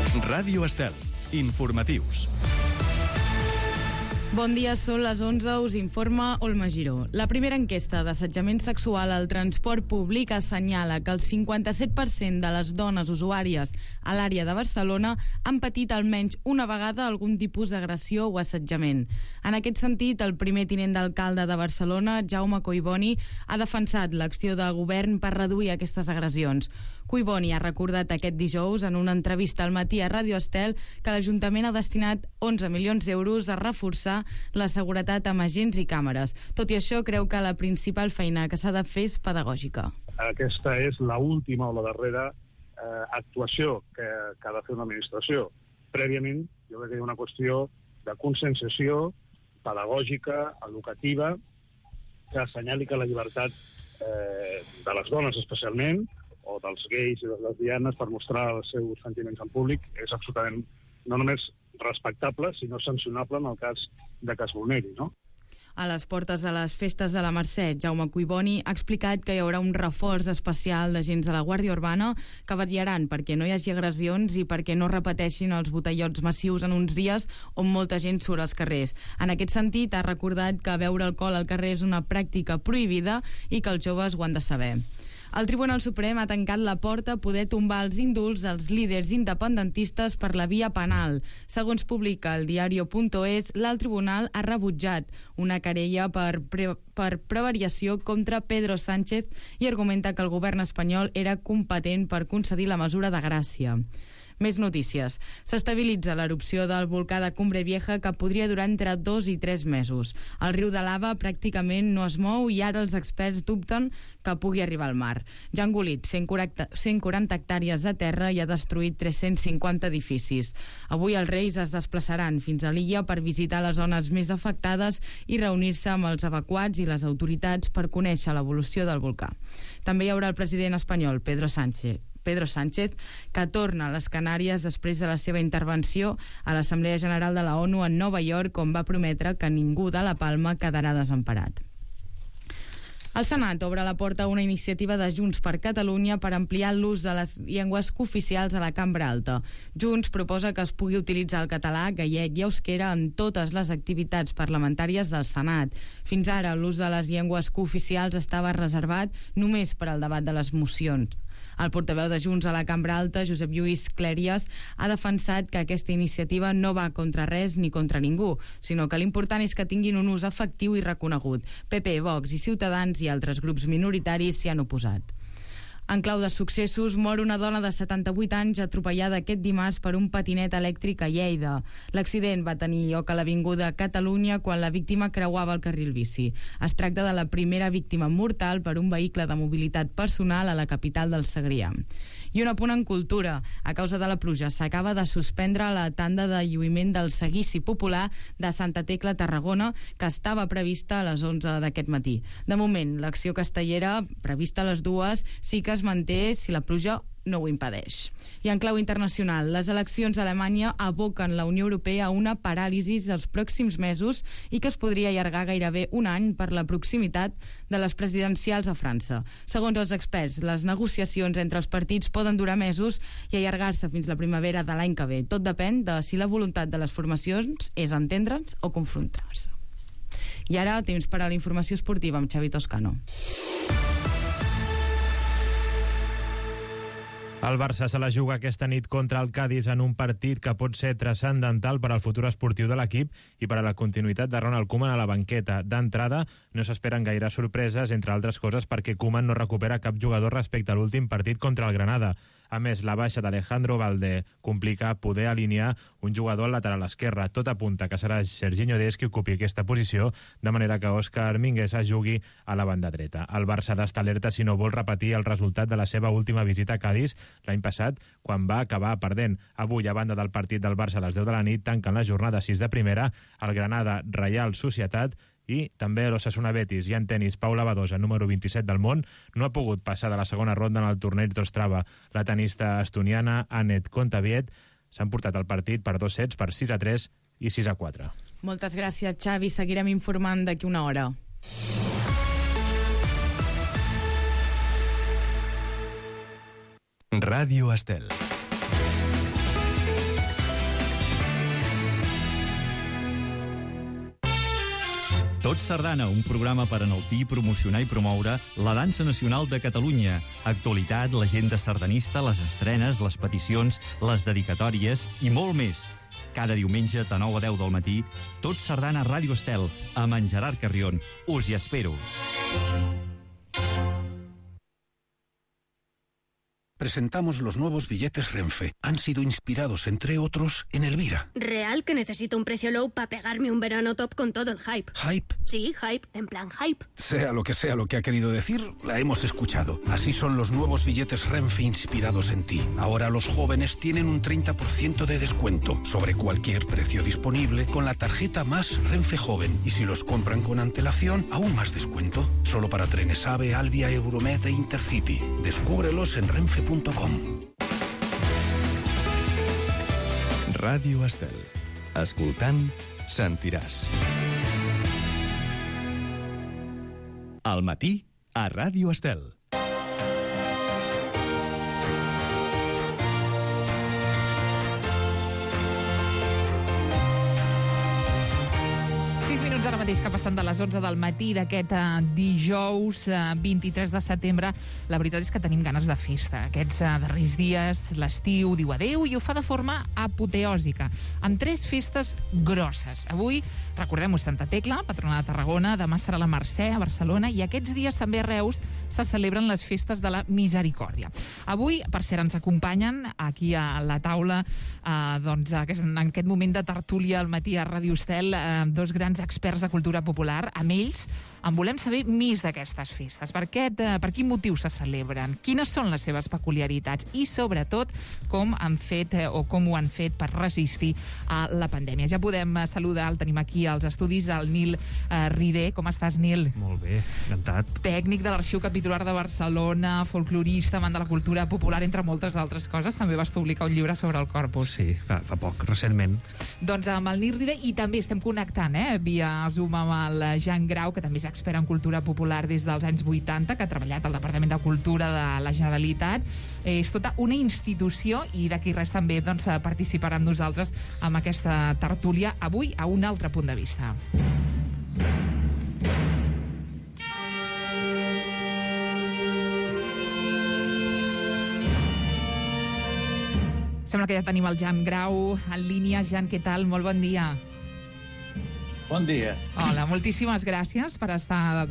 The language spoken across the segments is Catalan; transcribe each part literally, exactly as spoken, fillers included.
Ràdio Estel. Informatius. Bon dia, són les onze, us informa Olma Giró. La primera enquesta d'assetjament sexual al transport públic assenyala que el cinquanta-set per cent de les dones usuàries a l'àrea de Barcelona han patit almenys una vegada algun tipus d'agressió o assetjament. En aquest sentit, el primer tinent d'alcalde de Barcelona, Jaume Collboni, ha defensat l'acció de govern per reduir aquestes agressions. Collboni ha recordat aquest dijous en una entrevista al matí a Ràdio Estel que l'Ajuntament ha destinat onze milions d'euros a reforçar la seguretat amb agents i càmeres. Tot i això, creu que la principal feina que s'ha de fer és pedagògica. Aquesta és l'última o la darrera eh, actuació que, que ha de fer una administració. Prèviament, jo crec que hi ha una qüestió de conscienciació pedagògica, educativa, que assenyali que la llibertat eh, de les dones especialment, o dels gais i de les lesbianes per mostrar els seus sentiments en públic és absolutament no només respectable, sinó sancionable en el cas de que es vulneri, no? A les portes de les festes de la Mercè, Jaume Collboni ha explicat que hi haurà un reforç especial d'agents de la Guàrdia Urbana que vetllaran perquè no hi hagi agressions i perquè no repeteixin els botellots massius en uns dies on molta gent surt als carrers. En aquest sentit, ha recordat que beure alcohol al carrer és una pràctica prohibida i que els joves ho han de saber. El Tribunal Suprem ha tancat la porta a poder tombar els indults als líders independentistes per la via penal. Segons publica el diario.es, l'alt tribunal ha rebutjat una querella per, pre per prevariació contra Pedro Sánchez i argumenta que el govern espanyol era competent per concedir la mesura de gràcia. Més notícies. S'estabilitza l'erupció del volcà de Cumbre Vieja que podria durar entre dos i tres mesos. El riu de lava pràcticament no es mou i ara els experts dubten que pugui arribar al mar. Ja ha engolit cent quaranta hectàrees de terra i ha destruït tres-cents cinquanta edificis. Avui els reis es desplaçaran fins a l'illa per visitar les zones més afectades i reunir-se amb els evacuats i les autoritats per conèixer l'evolució del volcà. També hi haurà el president espanyol, Pedro Sánchez, Pedro Sánchez, que torna a les Canàries després de la seva intervenció a l'Assemblea General de la ONU en Nova York, on va prometre que ningú de la Palma quedarà desemparat. El Senat obre la porta a una iniciativa de Junts per Catalunya per ampliar l'ús de les llengües cooficials a la cambra alta. Junts proposa que es pugui utilitzar el català, gallec i euskera en totes les activitats parlamentàries del Senat. Fins ara, l'ús de les llengües cooficials estava reservat només per al debat de les mocions. El portaveu de Junts a la Cambra Alta, Josep Lluís Clèries, ha defensat que aquesta iniciativa no va contra res ni contra ningú, sinó que l'important és que tinguin un ús efectiu i reconegut. P P, Vox i Ciutadans i altres grups minoritaris s'hi han oposat. En clau de successos, mor una dona de setanta-vuit anys atropellada aquest dimarts per un patinet elèctric a Lleida. L'accident va tenir lloc a l'Avinguda Catalunya quan la víctima creuava el carril bici. Es tracta de la primera víctima mortal per un vehicle de mobilitat personal a la capital del Segrià. I un apunt en cultura. A causa de la pluja s'acaba de suspendre la tanda de lluïment del seguici popular de Santa Tecla, Tarragona, que estava prevista a les onze d'aquest matí. De moment, l'acció castellera, prevista a les dues, sí que es manté si la pluja no ho impedeix. I en clau internacional, les eleccions a Alemanya aboquen la Unió Europea a una paràlisi dels pròxims mesos i que es podria allargar gairebé un any per la proximitat de les presidencials a França. Segons els experts, les negociacions entre els partits poden durar mesos i allargar-se fins la primavera de l'any que ve. Tot depèn de si la voluntat de les formacions és entendre'ns o confrontar-se. I ara, temps per a la informació esportiva amb Xavi Toscano. El Barça se la juga aquesta nit contra el Cádiz en un partit que pot ser transcendental per al futur esportiu de l'equip i per a la continuïtat de Ronald Koeman a la banqueta. D'entrada, no s'esperen gaire sorpreses, entre altres coses perquè Koeman no recupera cap jugador respecte a l'últim partit contra el Granada. A més, la baixa d'Alejandro Valde complica poder alinear un jugador al lateral esquerre. Tot apunta que serà Serginho Dest qui ocupi aquesta posició, de manera que Òscar Mingueza jugui a la banda dreta. El Barça ha d'estar alerta si no vol repetir el resultat de la seva última visita a Cádiz l'any passat, quan va acabar perdent. Avui, a banda del partit del Barça a les deu de la nit, tanquen la jornada sis de primera el Granada Reial Societat i també l'Osasuna Betis. I en tenis, Paula Badosa, número vint-i-set del món, no ha pogut passar de la segona ronda en el torneig d'Ostrava. La tenista estoniana Anett Kontaveit s'han portat el partit per dos sets, per sis a tres i sis a quatre. Moltes gràcies, Xavi. Seguirem informant d'aquí una hora. Ràdio Estel. Tot Sardana, un programa per enaltir, promocionar i promoure la dansa nacional de Catalunya. Actualitat, l'agenda sardanista, les estrenes, les peticions, les dedicatòries i molt més. Cada diumenge de nou a deu del matí, Tot Sardana a Ràdio Estel, amb en Gerard Carrion. Us hi espero. Presentamos los nuevos billetes Renfe. Han sido inspirados, entre otros, en Elvira. ¿Real que necesito un precio low para pegarme un verano top con todo el hype? ¿Hype? Sí, hype, en plan hype. Sea lo que sea lo que ha querido decir, la hemos escuchado. Así son los nuevos billetes Renfe inspirados en ti. Ahora los jóvenes tienen un treinta por ciento de descuento sobre cualquier precio disponible con la tarjeta Más Renfe Joven. Y si los compran con antelación, aún más descuento. Solo para trenes AVE, Alvia, Euromed e Intercity. Descúbrelos en renfe punto com. Ràdio Estel. Escoltant, sentiràs. Al matí, a Ràdio Estel. Ara mateix que passen de les onze del matí d'aquest uh, dijous uh, vint-i-tres de setembre. La veritat és que tenim ganes de festa. Aquests uh, darrers dies, l'estiu diu adeu i ho fa de forma apoteòsica, amb tres festes grosses. Avui, recordem-ho, Santa Tecla, patrona de Tarragona, demà serà la Mercè a Barcelona i aquests dies també a Reus se celebren les festes de la Misericòrdia. Avui, per cert, ens acompanyen aquí a la taula, uh, doncs, en aquest moment de tertúlia al matí a Ràdio Estel, uh, dos grans experts de cultura popular. Amb ells en volem saber més d'aquestes festes. Per, aquest, eh, per quin motiu se celebren? Quines són les seves peculiaritats? I, sobretot, com han fet eh, o com ho han fet per resistir a la pandèmia. Ja podem eh, saludar, el tenim aquí als estudis, el Nil eh, Rider. Com estàs, Nil? Molt bé, encantat. Tècnic de l'Arxiu Capitular de Barcelona, folclorista, amant de la cultura popular, entre moltes altres coses. També vas publicar un llibre sobre el Corpus. Sí, fa, fa poc, recentment. Doncs amb el Nil Rider, i també estem connectant eh, via Zoom amb el Jan Grau, que també és expert en cultura popular des dels anys vuitanta, que ha treballat al Departament de Cultura de la Generalitat. És tota una institució i d'aquí res també doncs, participarà amb nosaltres amb aquesta tertúlia avui a un altre punt de vista. Sembla que ja tenim el Jan Grau en línia. Jan, què tal? Molt bon dia. Bon dia. Hola, moltíssimes gràcies per estar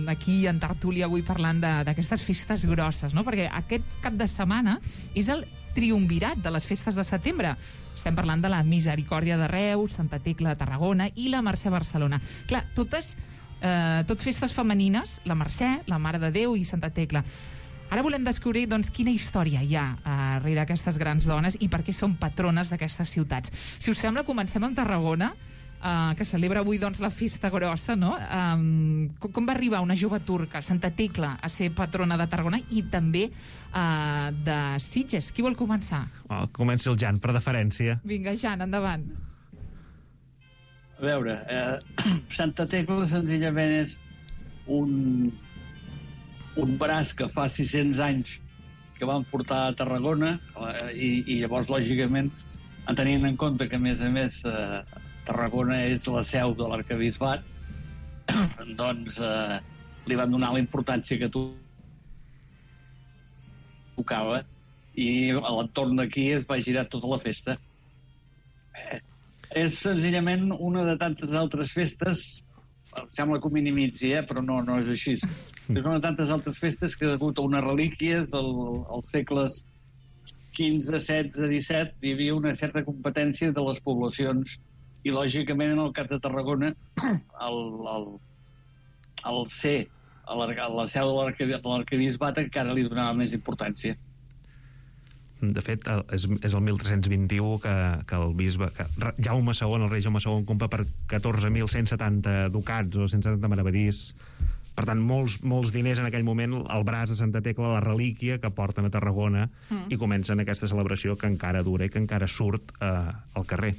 aquí en tertúlia avui parlant d'aquestes festes grosses, no? Perquè aquest cap de setmana és el triumvirat de les festes de setembre. Estem parlant de la Misericòrdia de Reus, Santa Tecla de Tarragona i la Mercè a Barcelona. Clar, totes, eh, tot festes femenines, la Mercè, la Mare de Déu i Santa Tecla. Ara volem descobrir doncs, quina història hi ha eh, darrere aquestes grans dones i per què són patrones d'aquestes ciutats. Si us sembla, comencem amb Tarragona, Uh, que celebra avui doncs, la festa grossa, no? Um, com, com va arribar una jove turca, Santa Tecla, a ser patrona de Tarragona i també uh, de Sitges? Qui vol començar? Oh, comença el Jan, per deferència. Vinga, Jan, endavant. A veure, eh, Santa Tecla senzillament és un, un braç que fa sis-cents anys que van portar a Tarragona eh, i, i llavors, lògicament, tenint en compte que, a més a més, eh, Tarragona és la seu de l'arquebisbat, doncs eh, li van donar la importància que tu tocava i a l'entorn d'aquí es va girar tota la festa. Eh, és senzillament una de tantes altres festes, em sembla que ho minimitzi, eh, però no, no és així. És una de tantes altres festes que, degut a unes relíquies del, als segles quinze, setze, disset, hi havia una certa competència de les poblacions. I, lògicament, en el cas de Tarragona, el, el, el ser a la seu de l'arquebisbat encara li donava més importància. De fet, és, és el mil tres-cents vint-i-u que, que el bisbe, que Jaume segon, el rei Jaume segon, compra per catorze mil cent setanta ducats o cent setanta meravellís. Per tant, molts, molts diners en aquell moment, el braç de Santa Tecla, la relíquia que porten a Tarragona, mm. i comencen aquesta celebració que encara dura i que encara surt eh, al carrer.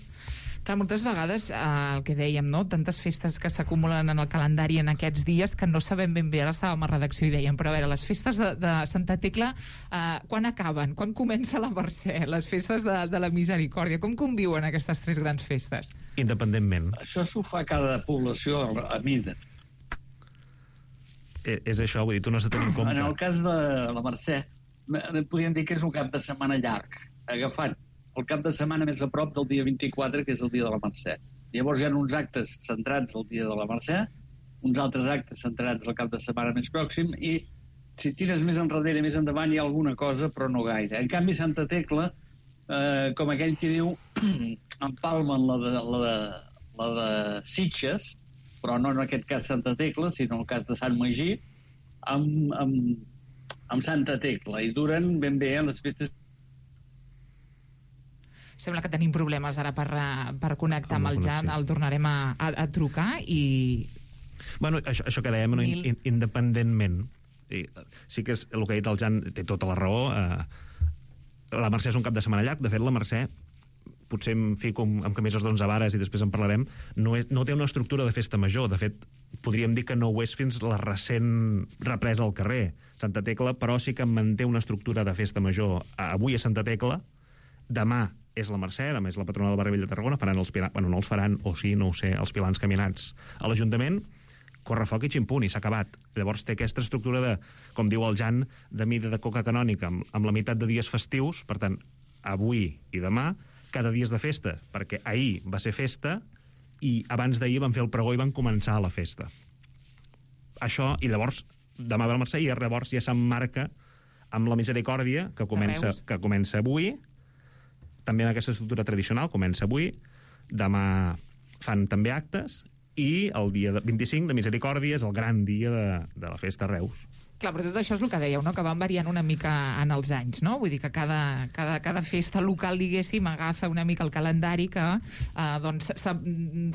Clar, moltes vegades, eh, el que dèiem, no? Tantes festes que s'acumulen en el calendari en aquests dies que no sabem ben bé. Ara estàvem a redacció i dèiem, però a veure, les festes de, de Santa Tecla, eh, quan acaben? Quan comença la Mercè? Les festes de, de la Misericòrdia? Com conviuen aquestes tres grans festes? Independentment. Això s'ho fa cada població a mida. Eh, és això, vull dir, tu no has de tenir en compte. En el cas de la Mercè, podríem dir que és un cap de setmana llarg, agafant el cap de setmana més a prop del dia vint-i-quatre, que és el dia de la Mercè. Llavors hi ha uns actes centrats al dia de la Mercè, uns altres actes centrats al cap de setmana més pròxim, i si tires més enrere, més endavant, hi ha alguna cosa, però no gaire. En canvi, Santa Tecla, eh, com aquell que diu, empalmen la de, la, de, la de Sitges, però no en aquest cas Santa Tecla, sinó en el cas de Sant Magí, amb, amb, amb Santa Tecla, i duren ben bé les festes. Sembla que tenim problemes ara per, per connectar amb el Jan, el tornarem a, a, a trucar i... Bueno, això, això que dèiem, no, in, independentment, i, sí que és el que ha dit el Jan, té tota la raó, eh, la Mercè és un cap de setmana llarg, de fet la Mercè, potser em fico amb, amb camises d'onze vares i després en parlarem, no, és, no té una estructura de festa major, de fet, podríem dir que no ho és fins la recent represa al carrer. Santa Tecla, però sí que manté una estructura de festa major. Avui és Santa Tecla, demà és la Mercè, demà és la patrona del barri vell de Tarragona, faran els pilans, bueno, no els faran, o sí, no ho sé, els pilans caminats a l'Ajuntament, correfoc i ximpuni, s'ha acabat. Llavors té aquesta estructura de, com diu el Jan, de mida de coca canònica, amb, amb la meitat de dies festius, per tant, avui i demà, cada dia és de festa, perquè ahir va ser festa i abans d'ahir van fer el pregó i van començar la festa. Això, i llavors, demà ve la Mercè i llavors ja s'emmarca amb la Misericòrdia, que comença, que comença avui, també en aquesta estructura tradicional, comença avui, demà fan també actes, i el dia vint-i-cinc de Misericòrdia és el gran dia de, de la festa a Reus. Clar, però tot això és el que dèieu, no? Que van variant una mica en els anys, no? Vull dir que cada, cada, cada festa local, diguéssim, agafa una mica el calendari que eh, doncs,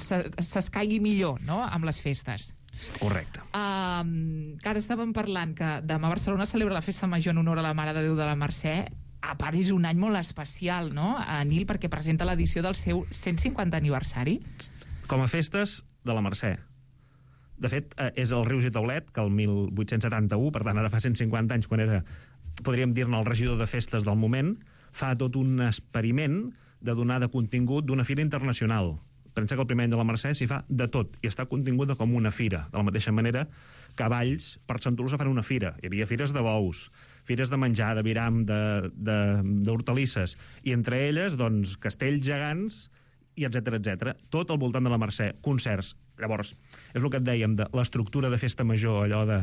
s'escaigui millor, no?, amb les festes. Correcte. Uh, que ara estàvem parlant que demà Barcelona celebra la festa major en honor a la Mare de Déu de la Mercè. A part, és un any molt especial, no?, a Nil, perquè presenta l'edició del seu cent cinquanta aniversari. Com a festes de la Mercè. De fet, és el Rius i Taulet, que el mil vuit-cents setanta-u, per tant, ara fa cent cinquanta anys, quan era, podríem dir-ne, el regidor de festes del moment, fa tot un experiment de donar de contingut d'una fira internacional. Pensa que el primer any de la Mercè s'hi fa de tot, i està continguda com una fira. De la mateixa manera que a Valls, per Sant Tolosa, fan una fira. Hi havia fires de bous, fires de menjar, de viram, d'hortalisses, i entre elles, doncs, castells gegants, i etcètera, etcètera. Tot al voltant de la Mercè, concerts. Llavors, és el que et dèiem, de l'estructura de festa major, allò de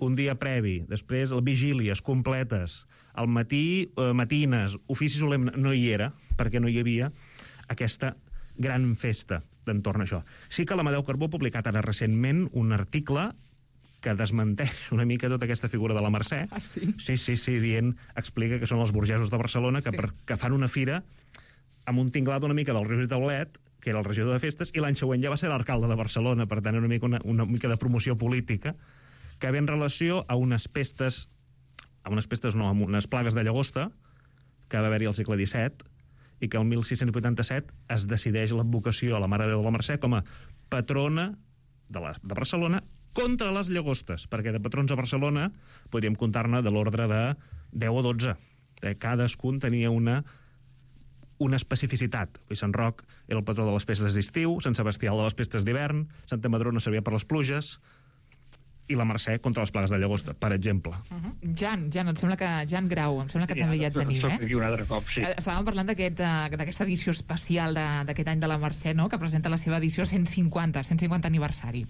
un dia previ, després vigílies completes, al matí, eh, matines, ofici solemne, no hi era, perquè no hi havia aquesta gran festa d'entorn a això. Sí que l'Amadeu Carbó ha publicat ara recentment un article que desmenteix una mica tota aquesta figura de la Mercè. Ah, sí? Sí, sí, sí, dient, explica que són els burgesos de Barcelona que, sí. per, que fan una fira amb un tinglat una mica del Rius i Taulet, que era el regidor de festes, i l'any següent ja va ser l'alcalde de Barcelona, per tant, una mica, una, una mica de promoció política, que ve en relació a unes pestes, a unes pestes no, a unes plagues de llagosta, que va haver-hi al segle disset, i que el mil sis-cents vuitanta-set es decideix l'advocació a la Mare de Déu de la Mercè com a patrona de, la, de Barcelona contra les llagostes, perquè de patrons a Barcelona podríem comptar-ne de l'ordre de deu o dotze. Cadascun tenia una una especificitat. Sant Roc era el patró de les festes d'estiu, Sant Sebastià de les festes d'hivern, Santa Madrona servia per les pluges, i la Mercè contra les plagues de llagosta, per exemple. Uh -huh. Jan, Jan, em sembla que Jan Grau, em sembla que sí, també ja et tenim, eh? Aquí un altre cop, sí. Estàvem parlant d'aquesta edició especial d'aquest any de la Mercè, no?, que presenta la seva edició cent cinquanta, cent cinquanta aniversari.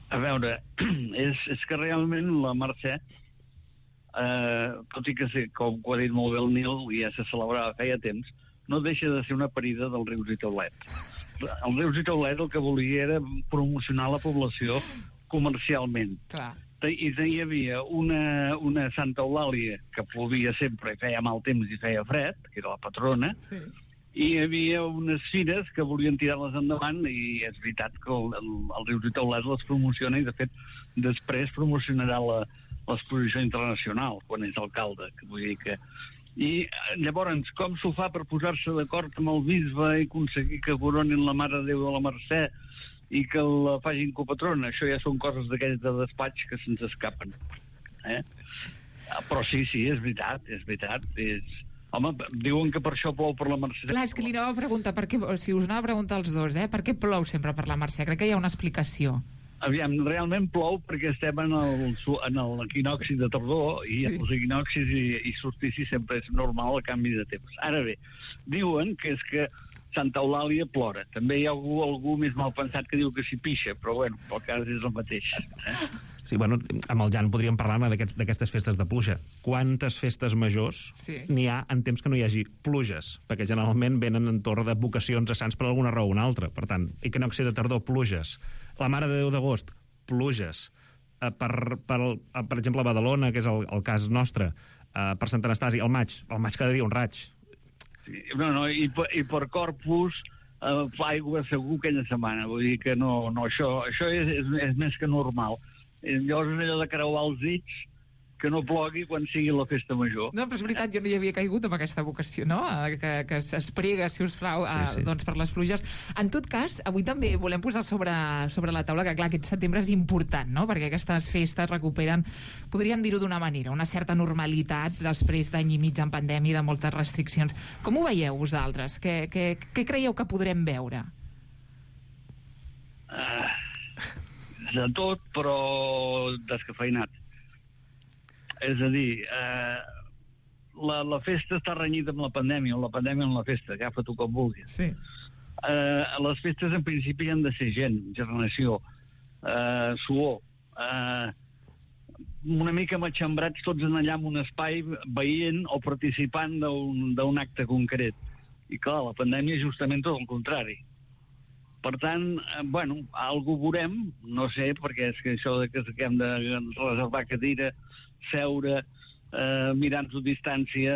A veure, és, és que realment la Mercè, eh, tot i que, sé, com ho ha dit molt bé el Nil, ja se celebrava feia temps, no deixa de ser una parida del Rius i Taulet. El Rius i Taulet el que volia era promocionar la població comercialment. Clar. I hi havia una, una Santa Eulàlia que plovia sempre i feia mal temps i feia fred, que era la patrona, sí. I hi havia unes fires que volien tirar-les endavant, i és veritat que el, el, el Rius i Taulet les promociona, i de fet després promocionarà la, l'exposició internacional quan és alcalde, que vull dir que I llavors, com s'ho fa per posar-se d'acord amb el bisbe i aconseguir que coronin la Mare de Déu de la Mercè i que la facin copatrona? Això ja són coses d'aquells de despatx que se'ns escapen. Eh? Però sí, sí, és veritat, és veritat. És... Home, diuen que per això plou per la Mercè. Clar, és que li anava a preguntar, per què, si us anava a preguntar als dos, eh? Per què plou sempre per la Mercè? Crec que hi ha una explicació. Aviam, realment plou perquè estem en el, en l'equinoxi de tardor i sí. Els equinoxis i, i solsticis sempre és normal el canvi de temps. Ara bé, diuen que és que Santa Eulàlia plora. També hi ha algú, algú més mal pensat que diu que s'hi pixa, però bueno, pel cas és el mateix. Eh? Sí, bueno, amb el Jan podríem parlar d'aquestes festes de pluja. Quantes festes majors sí. n'hi ha en temps que no hi hagi pluges? Perquè generalment venen en torn de vocacions a sants per alguna raó o una altra. Per tant, equinoxi de tardor, pluges. La Mare de Déu d'agost, pluges. Uh, per, per, uh, per exemple, a Badalona, que és el, el cas nostre, uh, per Sant Anastasi, al maig, al maig cada dia un raig. Sí, no, no, i, per, i per Corpus uh, fa aigua segur aquella setmana, vull dir que no, no això, això és, és, és més que normal. Llavors és allò de creuar els dits que no plogui quan sigui la festa major. No, però és veritat, jo no hi havia caigut amb aquesta vocació, no? Que, que es prega, si us plau, sí, sí. A, doncs per les pluges. En tot cas, avui també volem posar sobre, sobre la taula que, clar, aquest setembre és important, no? Perquè aquestes festes recuperen, podríem dir-ho d'una manera, una certa normalitat després d'any i mig en pandèmia i de moltes restriccions. Com ho veieu vosaltres? Què, què, què creieu que podrem veure? Uh, de tot, però descafeinat. És a dir, eh, la, la festa està renyida amb la pandèmia, o la pandèmia amb la festa, agafa-t'ho com vulguis. Sí. Eh, les festes en principi han de ser gent, generació, eh, suor, eh, una mica matxembrats tots en allà en un espai veient o participant d'un acte concret. I clar, la pandèmia és justament tot el contrari. Per tant, eh, bueno, algú veurem, no sé, perquè és que això de que hem de reservar cadira, seure, eh, mirant-nos a distància,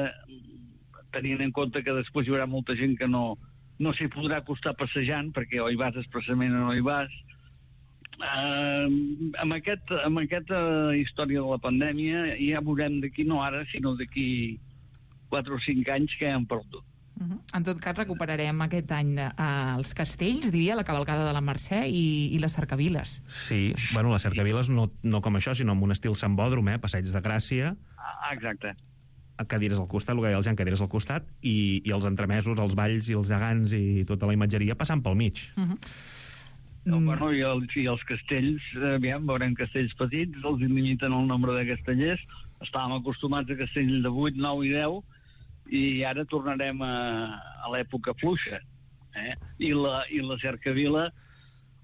tenint en compte que després hi haurà molta gent que no, no s'hi podrà acostar passejant, perquè o hi vas expressament o no hi vas. Eh, amb, aquest, amb aquesta història de la pandèmia ja veurem d'aquí, no ara, sinó d'aquí quatre o cinc anys que hem perdut. Uh-huh. En tot cas, recuperarem aquest any eh, els castells, diria, la cavalcada de la Mercè i, i les cercaviles. Sí, bueno, les cercaviles no, no com això, sinó amb un estil sambòdrom, eh? Passeig de Gràcia. Ah, exacte. Cadires al costat, el que deia el Jan, cadires al costat, i, i els entremesos, els balls i els gegants i tota la imatgeria passant pel mig. Uh-huh. No, bueno, i, el, i els castells, aviam, veurem castells petits, els limiten el nombre de castellers. Estàvem acostumats a castells de vuit, nou i deu, i ara tornarem a, a l'època fluixa. Eh? I, la, I la cercavila,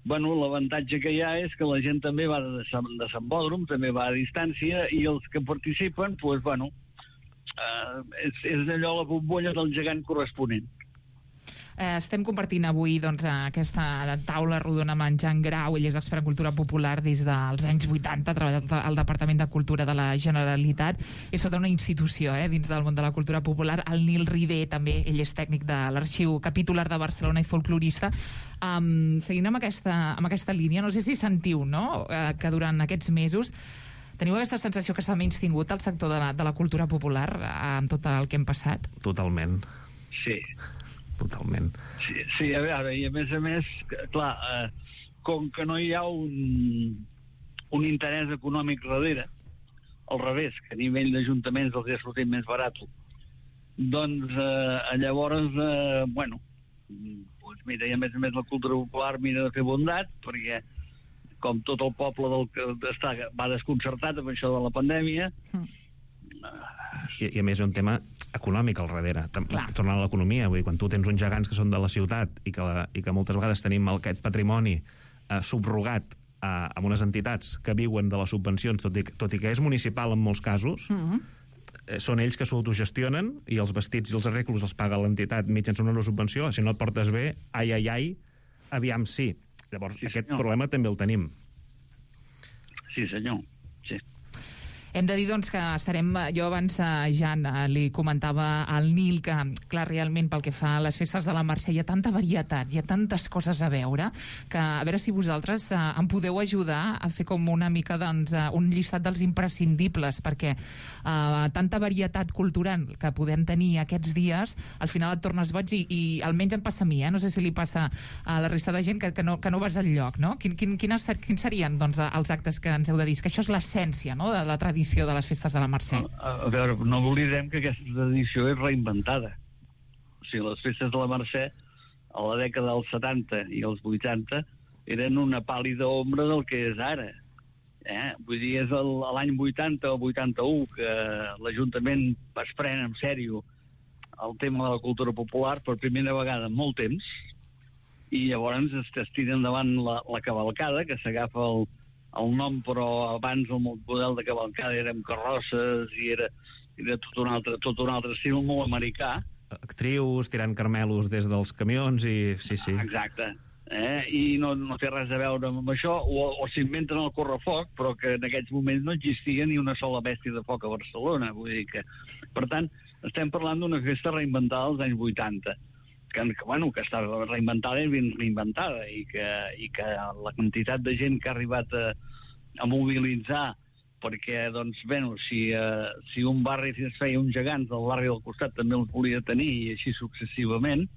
bueno, l'avantatge que hi ha és que la gent també va de, de sambòdrom, també va a distància, i els que participen, doncs, bueno, eh, és, és allò la bombolla del gegant corresponent. Eh, estem compartint avui doncs, aquesta taula rodona amb en Jan Grau. Ell és expert en cultura popular des dels anys vuitanta, ha treballat al Departament de Cultura de la Generalitat. És sota una institució eh, dins del món de la cultura popular. El Nil Ribé, també, ell és tècnic de l'Arxiu Capitular de Barcelona i folclorista. Um, seguint amb aquesta, amb aquesta línia, no sé si sentiu, no?, eh, que durant aquests mesos teniu aquesta sensació que s'ha menystingut el sector de la, de la cultura popular eh, amb tot el que hem passat? Totalment. Sí. Totalment. Sí, sí, a veure, i a més a més, clar, eh, com que no hi ha un, un interès econòmic darrere, al revés, que a nivell d'ajuntaments els ha sortit més barat, doncs eh, llavors, eh, bueno, doncs mira, i a més a més la cultura popular mira de fer bondat, perquè com tot el poble del que està, va desconcertat amb això de la pandèmia. Mm. I, I a més és un tema econòmic al darrere, tornant a l'economia, vull dir, quan tu tens uns gegants que són de la ciutat i que, la, i que moltes vegades tenim aquest patrimoni eh, subrogat eh, amb unes entitats que viuen de les subvencions, tot i, tot i que és municipal en molts casos, mm-hmm. eh, són ells que s'autogestionen i els vestits i els arreglos els paga l'entitat mitjançant una subvenció. Si no et portes bé, ai, ai, ai, aviam sí. Llavors, sí, aquest senyor. Problema també el tenim. Sí, senyor, sí. Hem de dir, doncs, que estarem... Jo abans, eh, Jan, eh, li comentava al Nil que, clar, realment, pel que fa a les festes de la Mercè, hi ha tanta varietat, hi ha tantes coses a veure, que a veure si vosaltres eh, em podeu ajudar a fer com una mica, doncs, eh, un llistat dels imprescindibles, perquè eh, tanta varietat cultural que podem tenir aquests dies, al final et tornes boig i, i almenys em passa a mi, eh? No sé si li passa a la resta de gent que, que, no, que no vas al lloc, no? Quin, quin, quines, quins serien, doncs, els actes que ens heu de dir? Que això és l'essència, no?, de la tradició de les festes de la Mercè. A, a veure, no oblidem que aquesta tradició és reinventada. O sigui, les festes de la Mercè, a la dècada dels setanta i els vuitanta, eren una pàl·lida ombra del que és ara. Eh? Vull dir, és el, l'any vuitanta o vuitanta-u que l'Ajuntament es pren en sèrio el tema de la cultura popular per primera vegada en molt temps, i llavors es, es tira endavant la, la cavalcada, que s'agafa el, el nom, però abans el model de cavalcada era amb carrosses i era, era tot, un altre, tot un altre estil molt americà. Actrius tirant carmelos des dels camions i... Sí, sí. Exacte. Eh? I no, no té res a veure amb això, o, o s'inventen el correfoc, però que en aquells moments no existia ni una sola bèstia de foc a Barcelona. Vull dir que, per tant, estem parlant d'una festa reinventada als anys vuitanta, que, que, bueno, que està reinventada i ben reinventada, i que, i que la quantitat de gent que ha arribat a, a mobilitzar, perquè, doncs, bueno, si, uh, si un barri es feia uns gegants, el barri del costat també els volia tenir, i així successivament,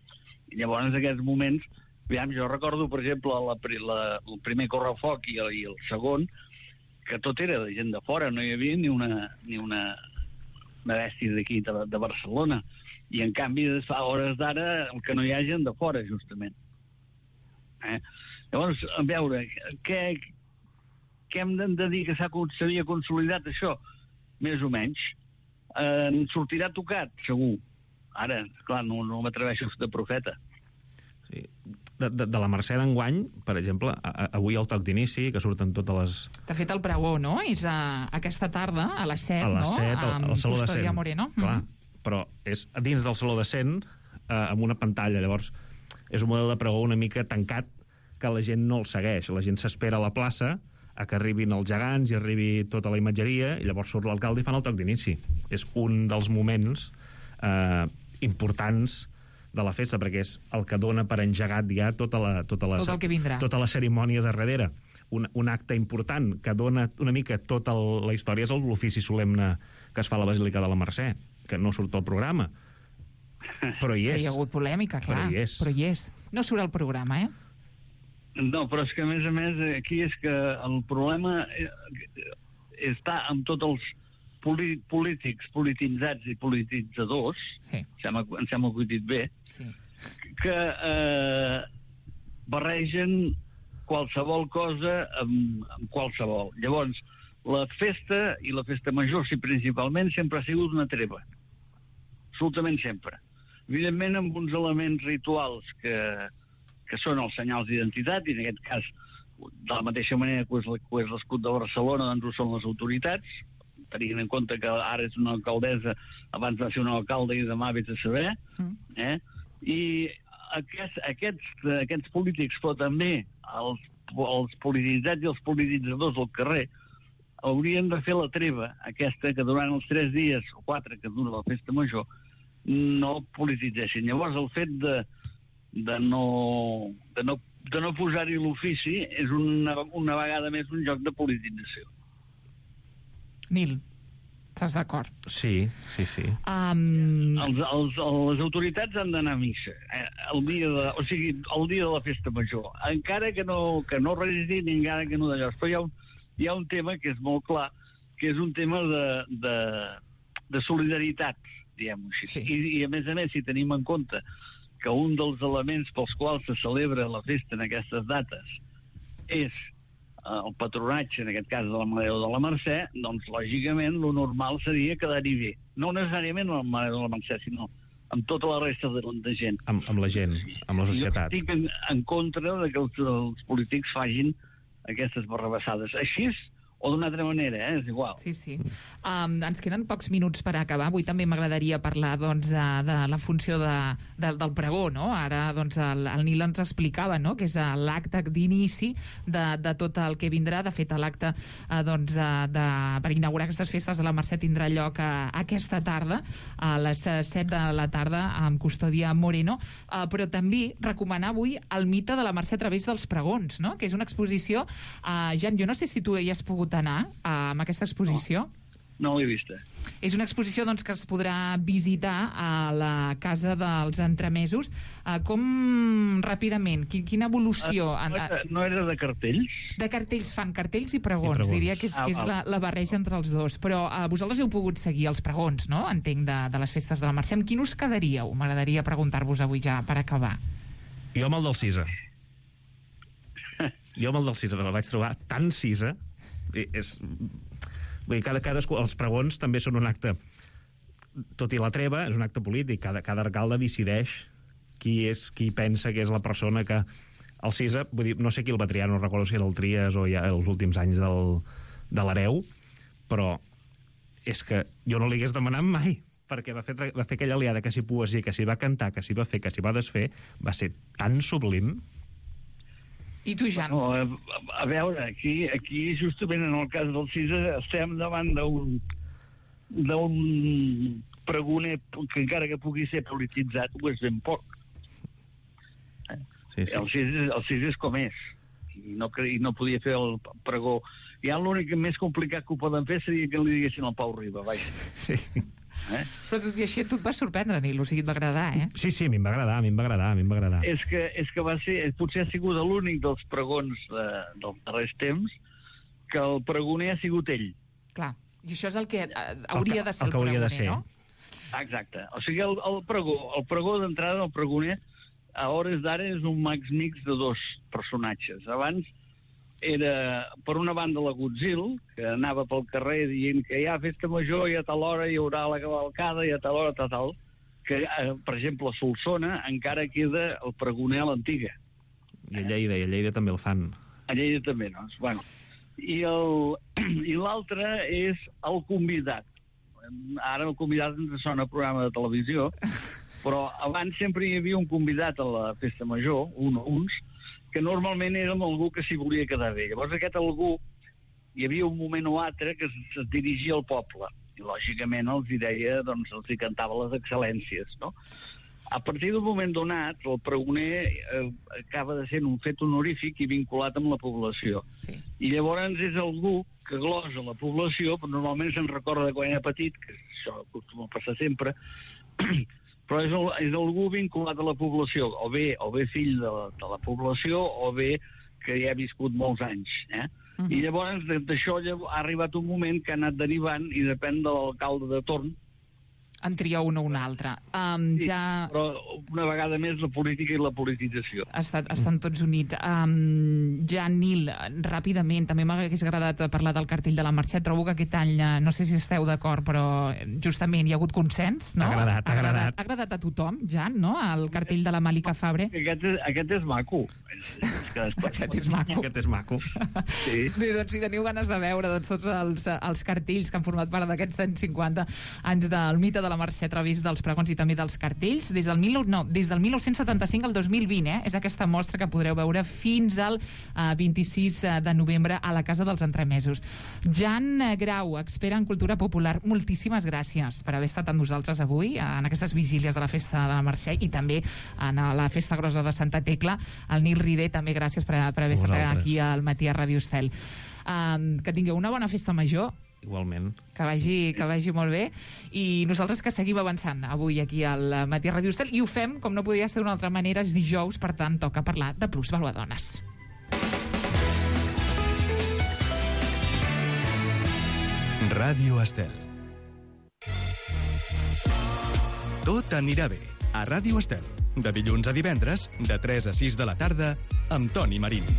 i llavors en aquests moments, aviam, jo recordo, per exemple, la, la, el primer correfoc i el, i el segon, que tot era de gent de fora, no hi havia ni una... Ni una una bèstia d'aquí, de, de Barcelona, i en canvi fa hores d'ara el que no hi ha gent de fora, justament. Eh? Llavors, a veure, què, què hem de dir que s'havia consolidat això? Més o menys. Eh, sortirà tocat, segur. Ara, clar, no, no m'atreveixo de profeta. Sí. De, de, de la Mercè d'enguany, per exemple, a, a, avui el toc d'inici, que surten totes les... De fet, el pregó, no? És a, aquesta tarda, a les set, a les no? set, al, al Saló de Cent. Moreno. Clar, mm-hmm. Però és dins del Saló de Cent, eh, amb una pantalla. Llavors, és un model de pregó una mica tancat, que la gent no el segueix. La gent s'espera a la plaça a que arribin els gegants i arribi tota la imatgeria, i llavors surt l'alcalde i fan el toc d'inici. És un dels moments eh, importants de la festa, perquè és el que dona per engegat ja tota la, tota la, tot el que vindrà. Tota la cerimònia de darrere. Un, un acte important que dona una mica tota el, la història és l'ofici solemne que es fa a la Basílica de la Mercè, que no surt al programa, però hi és. Hi ha hagut polèmica, clar, però hi és. Però hi és. No surt al programa, eh? No, però és que, a més a més, aquí és que el problema està amb tots els polítics, polititzats i polititzadors, sí. em sembla, em sembla que ho he dit bé, sí. que eh, barregen qualsevol cosa amb, amb qualsevol. Llavors, la festa, i la festa major, sí, principalment, sempre ha sigut una treva. Absolutament sempre. Evidentment, amb uns elements rituals que, que són els senyals d'identitat, i en aquest cas, de la mateixa manera que és l'escut de Barcelona, doncs ho són les autoritats, tenint en compte que ara és una alcaldessa, abans va ser un alcalde i demà vés a saber, eh? I aquests, aquests, aquests polítics, però també els, els polititzats i els polititzadors del carrer, haurien de fer la treva, aquesta que durant els tres dies o quatre que dura la festa major, no polititzessin. Llavors, el fet de, de no, de no, de no posar-hi l'ofici és una, una vegada més un joc de politització. Nil, estàs d'acord? Sí, sí, sí. Um... Els, els, les autoritats han d'anar a missa, eh, el dia de, o sigui, el dia de la festa major, encara que no, que no resitin, encara que no d'allò. Però hi ha, un, hi ha un tema que és molt clar, que és un tema de, de, de solidaritat, diguem-ho així. Sí. I, I, a més a més, si tenim en compte que un dels elements pels quals se celebra la festa en aquestes dates és el patronatge, en aquest cas de la Mare de la Mercè, doncs, lògicament, lo normal seria quedar-hi bé. No necessàriament amb la Mare de la Mercè, sinó amb tota la resta de, de gent. Amb, amb la gent, amb la societat. Jo estic en, en contra de que els, els polítics facin aquestes barrabassades. Així o d'una altra manera, eh? És igual. Sí, sí. Um, ens queden pocs minuts per acabar. Avui també m'agradaria parlar doncs, de, de la funció de, de, del pregó, no? Ara doncs, el, el Nil ens explicava, no?, que és l'acte d'inici de, de tot el que vindrà. De fet, l'acte eh, doncs, de, de, per inaugurar aquestes festes de la Mercè tindrà lloc a, aquesta tarda, a les set de la tarda, amb Custòdia Moreno. Uh, però també recomanar avui el mite de la Mercè a través dels pregons, no?, que és una exposició. Uh, Jan, jo no sé si tu hi has pogut anar uh, amb aquesta exposició. No, no l'he vista. És una exposició doncs, que es podrà visitar a la Casa dels Entremesos. Uh, com, ràpidament, quin, quina evolució... Uh, no, era, no era de cartells? De cartells, fan cartells i pregons. I pregons. Diria que és, ah, que és la, la barreja entre els dos. Però uh, vosaltres heu pogut seguir els pregons, no?, entenc, de, de les festes de la Mercè. Amb quin us quedaríeu? M'agradaria preguntar-vos avui ja, per acabar. Jo amb el del Cisa. Jo amb el del Cisa, el vaig trobar tan Cisa. I és... Vull dir, cada, cadascú, els pregons també són un acte, tot i la treva, és un acte polític. Cada, cada alcalde decideix qui és, qui pensa que és la persona que... El Cisa, vull dir, no sé qui el va triar, no recordo si era el Trias o ja els últims anys del, de l'Hereu, però és que jo no li hagués demanat mai, perquè va fer, va fer aquella aliada que s'hi poesia, que s'hi va cantar, que s'hi va fer, que s'hi va desfer, va ser tan sublim. I tu, Jan? No, a, a veure, aquí, aquí justament en el cas del Cisa estem davant d'un d'un pregoner que encara que pugui ser polititzat ho és ben poc. Eh? Sí, sí. El Cisa, el Cisa és com és i no, i no podia fer el pregó. Ja l'únic més complicat que ho poden fer seria que li diguessin al Pau Riba, vaja. Sí. Eh? Però tot i així tu et va sorprendre, Nil, o sigui, et va agradar, eh? Sí, sí, a mi em va agradar, a mi em va agradar, a mi em va agradar. És que, és que va ser, potser ha sigut l'únic dels pregons eh, dels darrers temps que el pregoner ha sigut ell. Clar, i això és el que eh, hauria de ser el, el, el pregoner, ser. No? Exacte. O sigui, el, el pregó, el pregó d'entrada, el pregoner, a hores d'ara és un max mix de dos personatges. Abans era, per una banda, la Godzilla, que anava pel carrer dient que hi ha festa major i a tal hora hi haurà la cavalcada i a tal hora tal, tal que, eh, per exemple, a Solsona encara queda el pregoner a l'antiga. I a Lleida, i a Lleida també el fan. A Lleida també, no? Bueno, i el, i l'altre és el convidat. Ara el convidat ens sona programa de televisió, però abans sempre hi havia un convidat a la festa major, un o uns, que normalment era algú que s'hi volia quedar bé. Llavors aquest algú, hi havia un moment o altre que es, es dirigia al poble, i lògicament els hi deia, doncs els hi cantava les excel·lències, no? A partir d'un moment donat, el pregoner eh, acaba de ser un fet honorífic i vinculat amb la població. Sí. I llavors és algú que glosa la població, però normalment se'n recorda de quan era petit, que això acostuma a passar sempre, però és, el, és algú vinculat a la població, o bé, o bé fill de la, de la població, o bé que hi ha viscut molts anys. Eh? Uh-huh. I llavors d'això ha arribat un moment que ha anat derivant i depèn de l'alcalde de torn. En tria un o un altre. Um, sí, ja... Però una vegada més la política i la politització. Estan, estan tots units. Um, ja, Nil, ràpidament, també m'hagués agradat parlar del cartell de la Mercè. Trobo que aquest any, no sé si esteu d'acord, però justament hi ha hagut consens, no? Ha agradat, ha agradat. Ha agradat a tothom, Jan, no? El cartell de la Màlica Fabre. Aquest és, aquest és maco. Aquest és maco. Aquest és maco. Sí. Bé, doncs si teniu ganes de veure doncs, tots els, els cartells que han format part d'aquests cent cinquanta anys del mite de la Mercè a través dels pregons i també dels cartells, des del, mil, no, des del dinou setanta-cinc al dos mil vint, eh? És aquesta mostra que podreu veure fins al uh, vint-i-sis de novembre a la Casa dels Entremesos. Jan Grau, expert en cultura popular, moltíssimes gràcies per haver estat amb nosaltres avui en aquestes vigílies de la Festa de la Mercè i també en la Festa Grossa de Santa Tecla. El Nil Rider, també gràcies per, per haver estat aquí al matí a Ràdio Estel. Um, que tingueu una bona festa major. Igualment. Que vagi, que vagi molt bé. I nosaltres que seguim avançant avui aquí al matí a Ràdio Estel. I ho fem, com no podia ser d'una altra manera, és dijous, per tant, toca parlar de Plus Valuadones. Ràdio Estel. Tot anirà bé a Ràdio Estel. De dilluns a divendres, de tres a sis de la tarda, amb Toni Marín.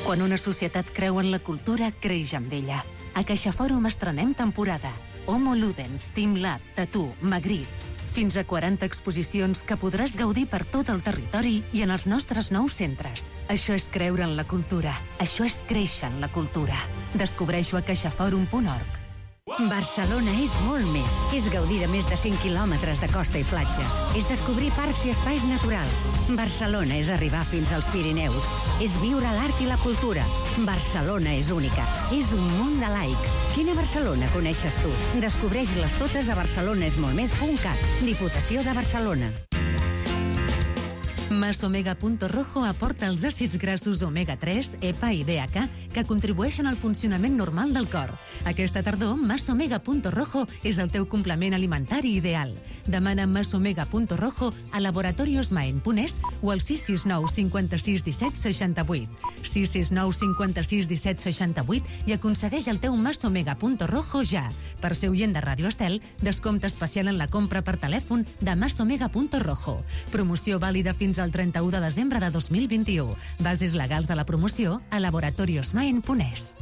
Quan una societat creu en la cultura, creix amb ella. A CaixaFòrum estrenem temporada. Homo Ludens, Team Lab, Tattoo, Magritte. fins a quaranta exposicions que podràs gaudir per tot el territori i en els nostres nous centres. Això és creure en la cultura. Això és créixer en la cultura. Descobreixo a caixaforum punt org. Barcelona és molt més. És gaudir de més de cent quilòmetres de costa i platja. És descobrir parcs i espais naturals. Barcelona és arribar fins als Pirineus. És viure l'art i la cultura. Barcelona és única. És un munt de laics. Quina Barcelona coneixes tu? Descobreix-les totes a barcelonesmoltmés punt cat. Diputació de Barcelona. Masomega Punto Rojo aporta els àcids grassos omega tres, E P A i D H A que contribueixen al funcionament normal del cor. Aquesta tardor, Masomega Punto Rojo és el teu complement alimentari ideal. Demana Masomega Punto Rojo a Laboratorios Maen Punès o al sis sis nou cinquanta-sis disset seixanta-vuit. sis sis nou cinquanta-sis disset seixanta-vuit i aconsegueix el teu Masomega Punto Rojo ja. Per ser oient de Ràdio Estel, descompte especial en la compra per telèfon de Masomega Punto Rojo. Promoció vàlida fins al trenta-u de desembre de dos mil vint-i-u. Bases legals de la promoció a Laboratorios Maen Punès.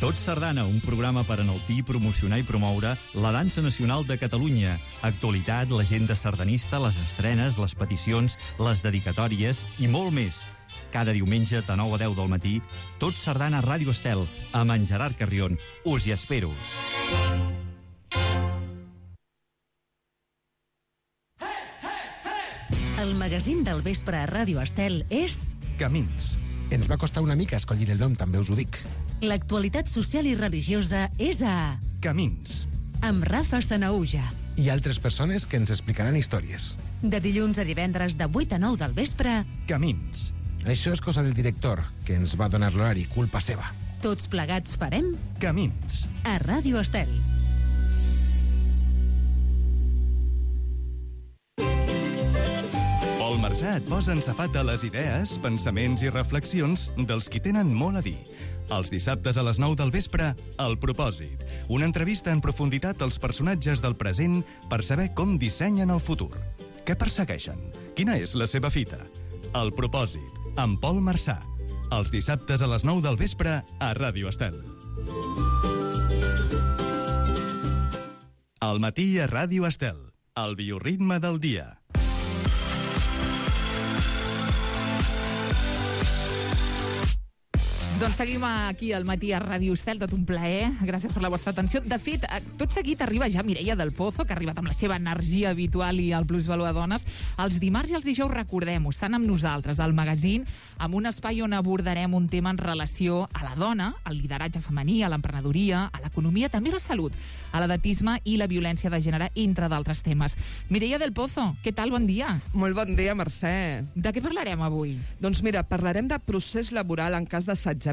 Tot Sardana, un programa per enaltir, promocionar i promoure la dansa nacional de Catalunya. Actualitat, l'agenda sardanista, les estrenes, les peticions, les dedicatòries i molt més. Cada diumenge de nou a deu del matí, Tot Sardana a Ràdio Estel, amb en Gerard Carrion. Us hi espero. El magazín del vespre a Ràdio Estel és... Camins. Ens va costar una mica escollir el nom, també us ho dic. L'actualitat social i religiosa és a... Camins. Amb Rafa Sanaúja. I altres persones que ens explicaran històries. De dilluns a divendres de vuit a nou del vespre... Camins. Això és cosa del director, que ens va donar l'horari, culpa seva. Tots plegats farem... Camins. A Ràdio Estel. Pol Marsà et posa en safata les idees, pensaments i reflexions dels qui tenen molt a dir. Els dissabtes a les nou del vespre, El Propòsit. Una entrevista en profunditat als personatges del present per saber com dissenyen el futur. Què persegueixen? Quina és la seva fita? El Propòsit, amb Pol Marsà. Els dissabtes a les nou del vespre a Ràdio Estel. Al matí a Ràdio Estel. El bioritme del dia. Doncs seguim aquí al matí a Ràdio Estel, tot un plaer. Gràcies per la vostra atenció. De fet, tot seguit arriba ja Mireia del Pozo, que ha arribat amb la seva energia habitual i el Plusvalor Dones. Els dimarts i els dijous, recordem-ho, estan amb nosaltres, al magazín, amb un espai on abordarem un tema en relació a la dona, al lideratge femení, a l'emprenedoria, a l'economia, també a la salut, a l'edatisme i la violència de gènere, entre d'altres temes. Mireia del Pozo, què tal? Bon dia. Molt bon dia, Mercè. De què parlarem avui? Doncs mira, parlarem de procés laboral en cas d'assetjament,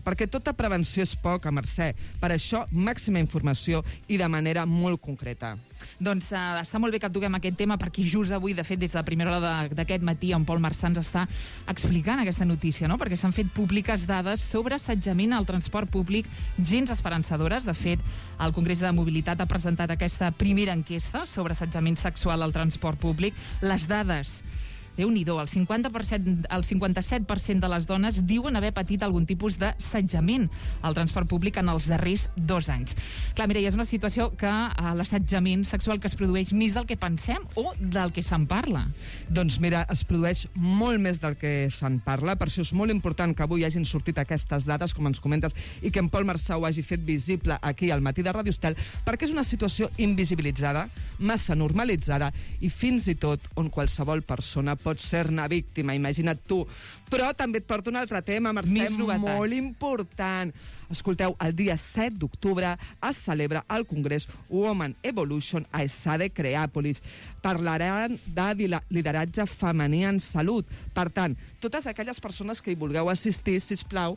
perquè tota prevenció és poca, Mercè. Per això, màxima informació i de manera molt concreta. Doncs uh, està molt bé que toquem aquest tema, perquè just avui, de fet, des de la primera hora d'aquest matí, en Pol Marsà ens està explicant aquesta notícia, no? Perquè s'han fet públiques dades sobre assetjament al transport públic gens esperançadores. De fet, el Congrés de Mobilitat ha presentat aquesta primera enquesta sobre assetjament sexual al transport públic. Les dades... Déu-n'hi-do, el cinquanta per cent, el cinquanta-set per cent de les dones diuen haver patit algun tipus d'assetjament al transport públic en els darrers dos anys. Clar, Mireia, és una situació que uh, l'assetjament sexual que es produeix més del que pensem o del que se'n parla? Doncs mira, es produeix molt més del que se'n parla, per això és molt important que avui hagin sortit aquestes dades, com ens comentes, i que en Pol Marsà ho hagi fet visible aquí al matí de Ràdio Estel, perquè és una situació invisibilitzada, massa normalitzada, i fins i tot on qualsevol persona pot ser-ne víctima, imagina't tu. Però també et porto un altre tema, Mercè, molt important. Escolteu, el dia set d'octubre es celebra al Congrés Women Evolution a ESADE Creàpolis. Parlaran de lideratge femení en salut. Per tant, totes aquelles persones que hi vulgueu assistir, sisplau,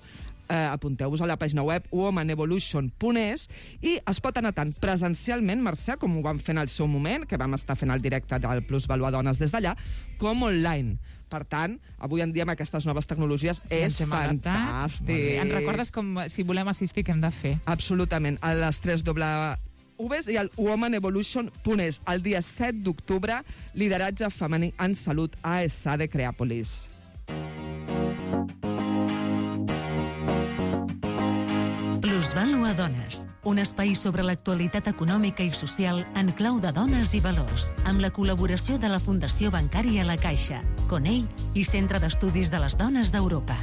eh, apunteu-vos a la pàgina web women evolution punt es i es pot anar tant presencialment, Mercè, com ho vam fer en el seu moment, que vam estar fent el directe del Plusvalor Dones des d'allà, com online. Per tant, avui en dia amb aquestes noves tecnologies és fantàstic. Ens recordes com, si volem assistir, què hem de fer? Absolutament. A les tres doble U's i al women evolution punt es. El dia set d'octubre, lideratge femení en salut a ESADE Creàpolis. Plusvàlua Dones, un espai sobre l'actualitat econòmica i social en clau de dones i valors, amb la col·laboració de la Fundació Bancària La Caixa, Conell i Centre d'Estudis de les Dones d'Europa.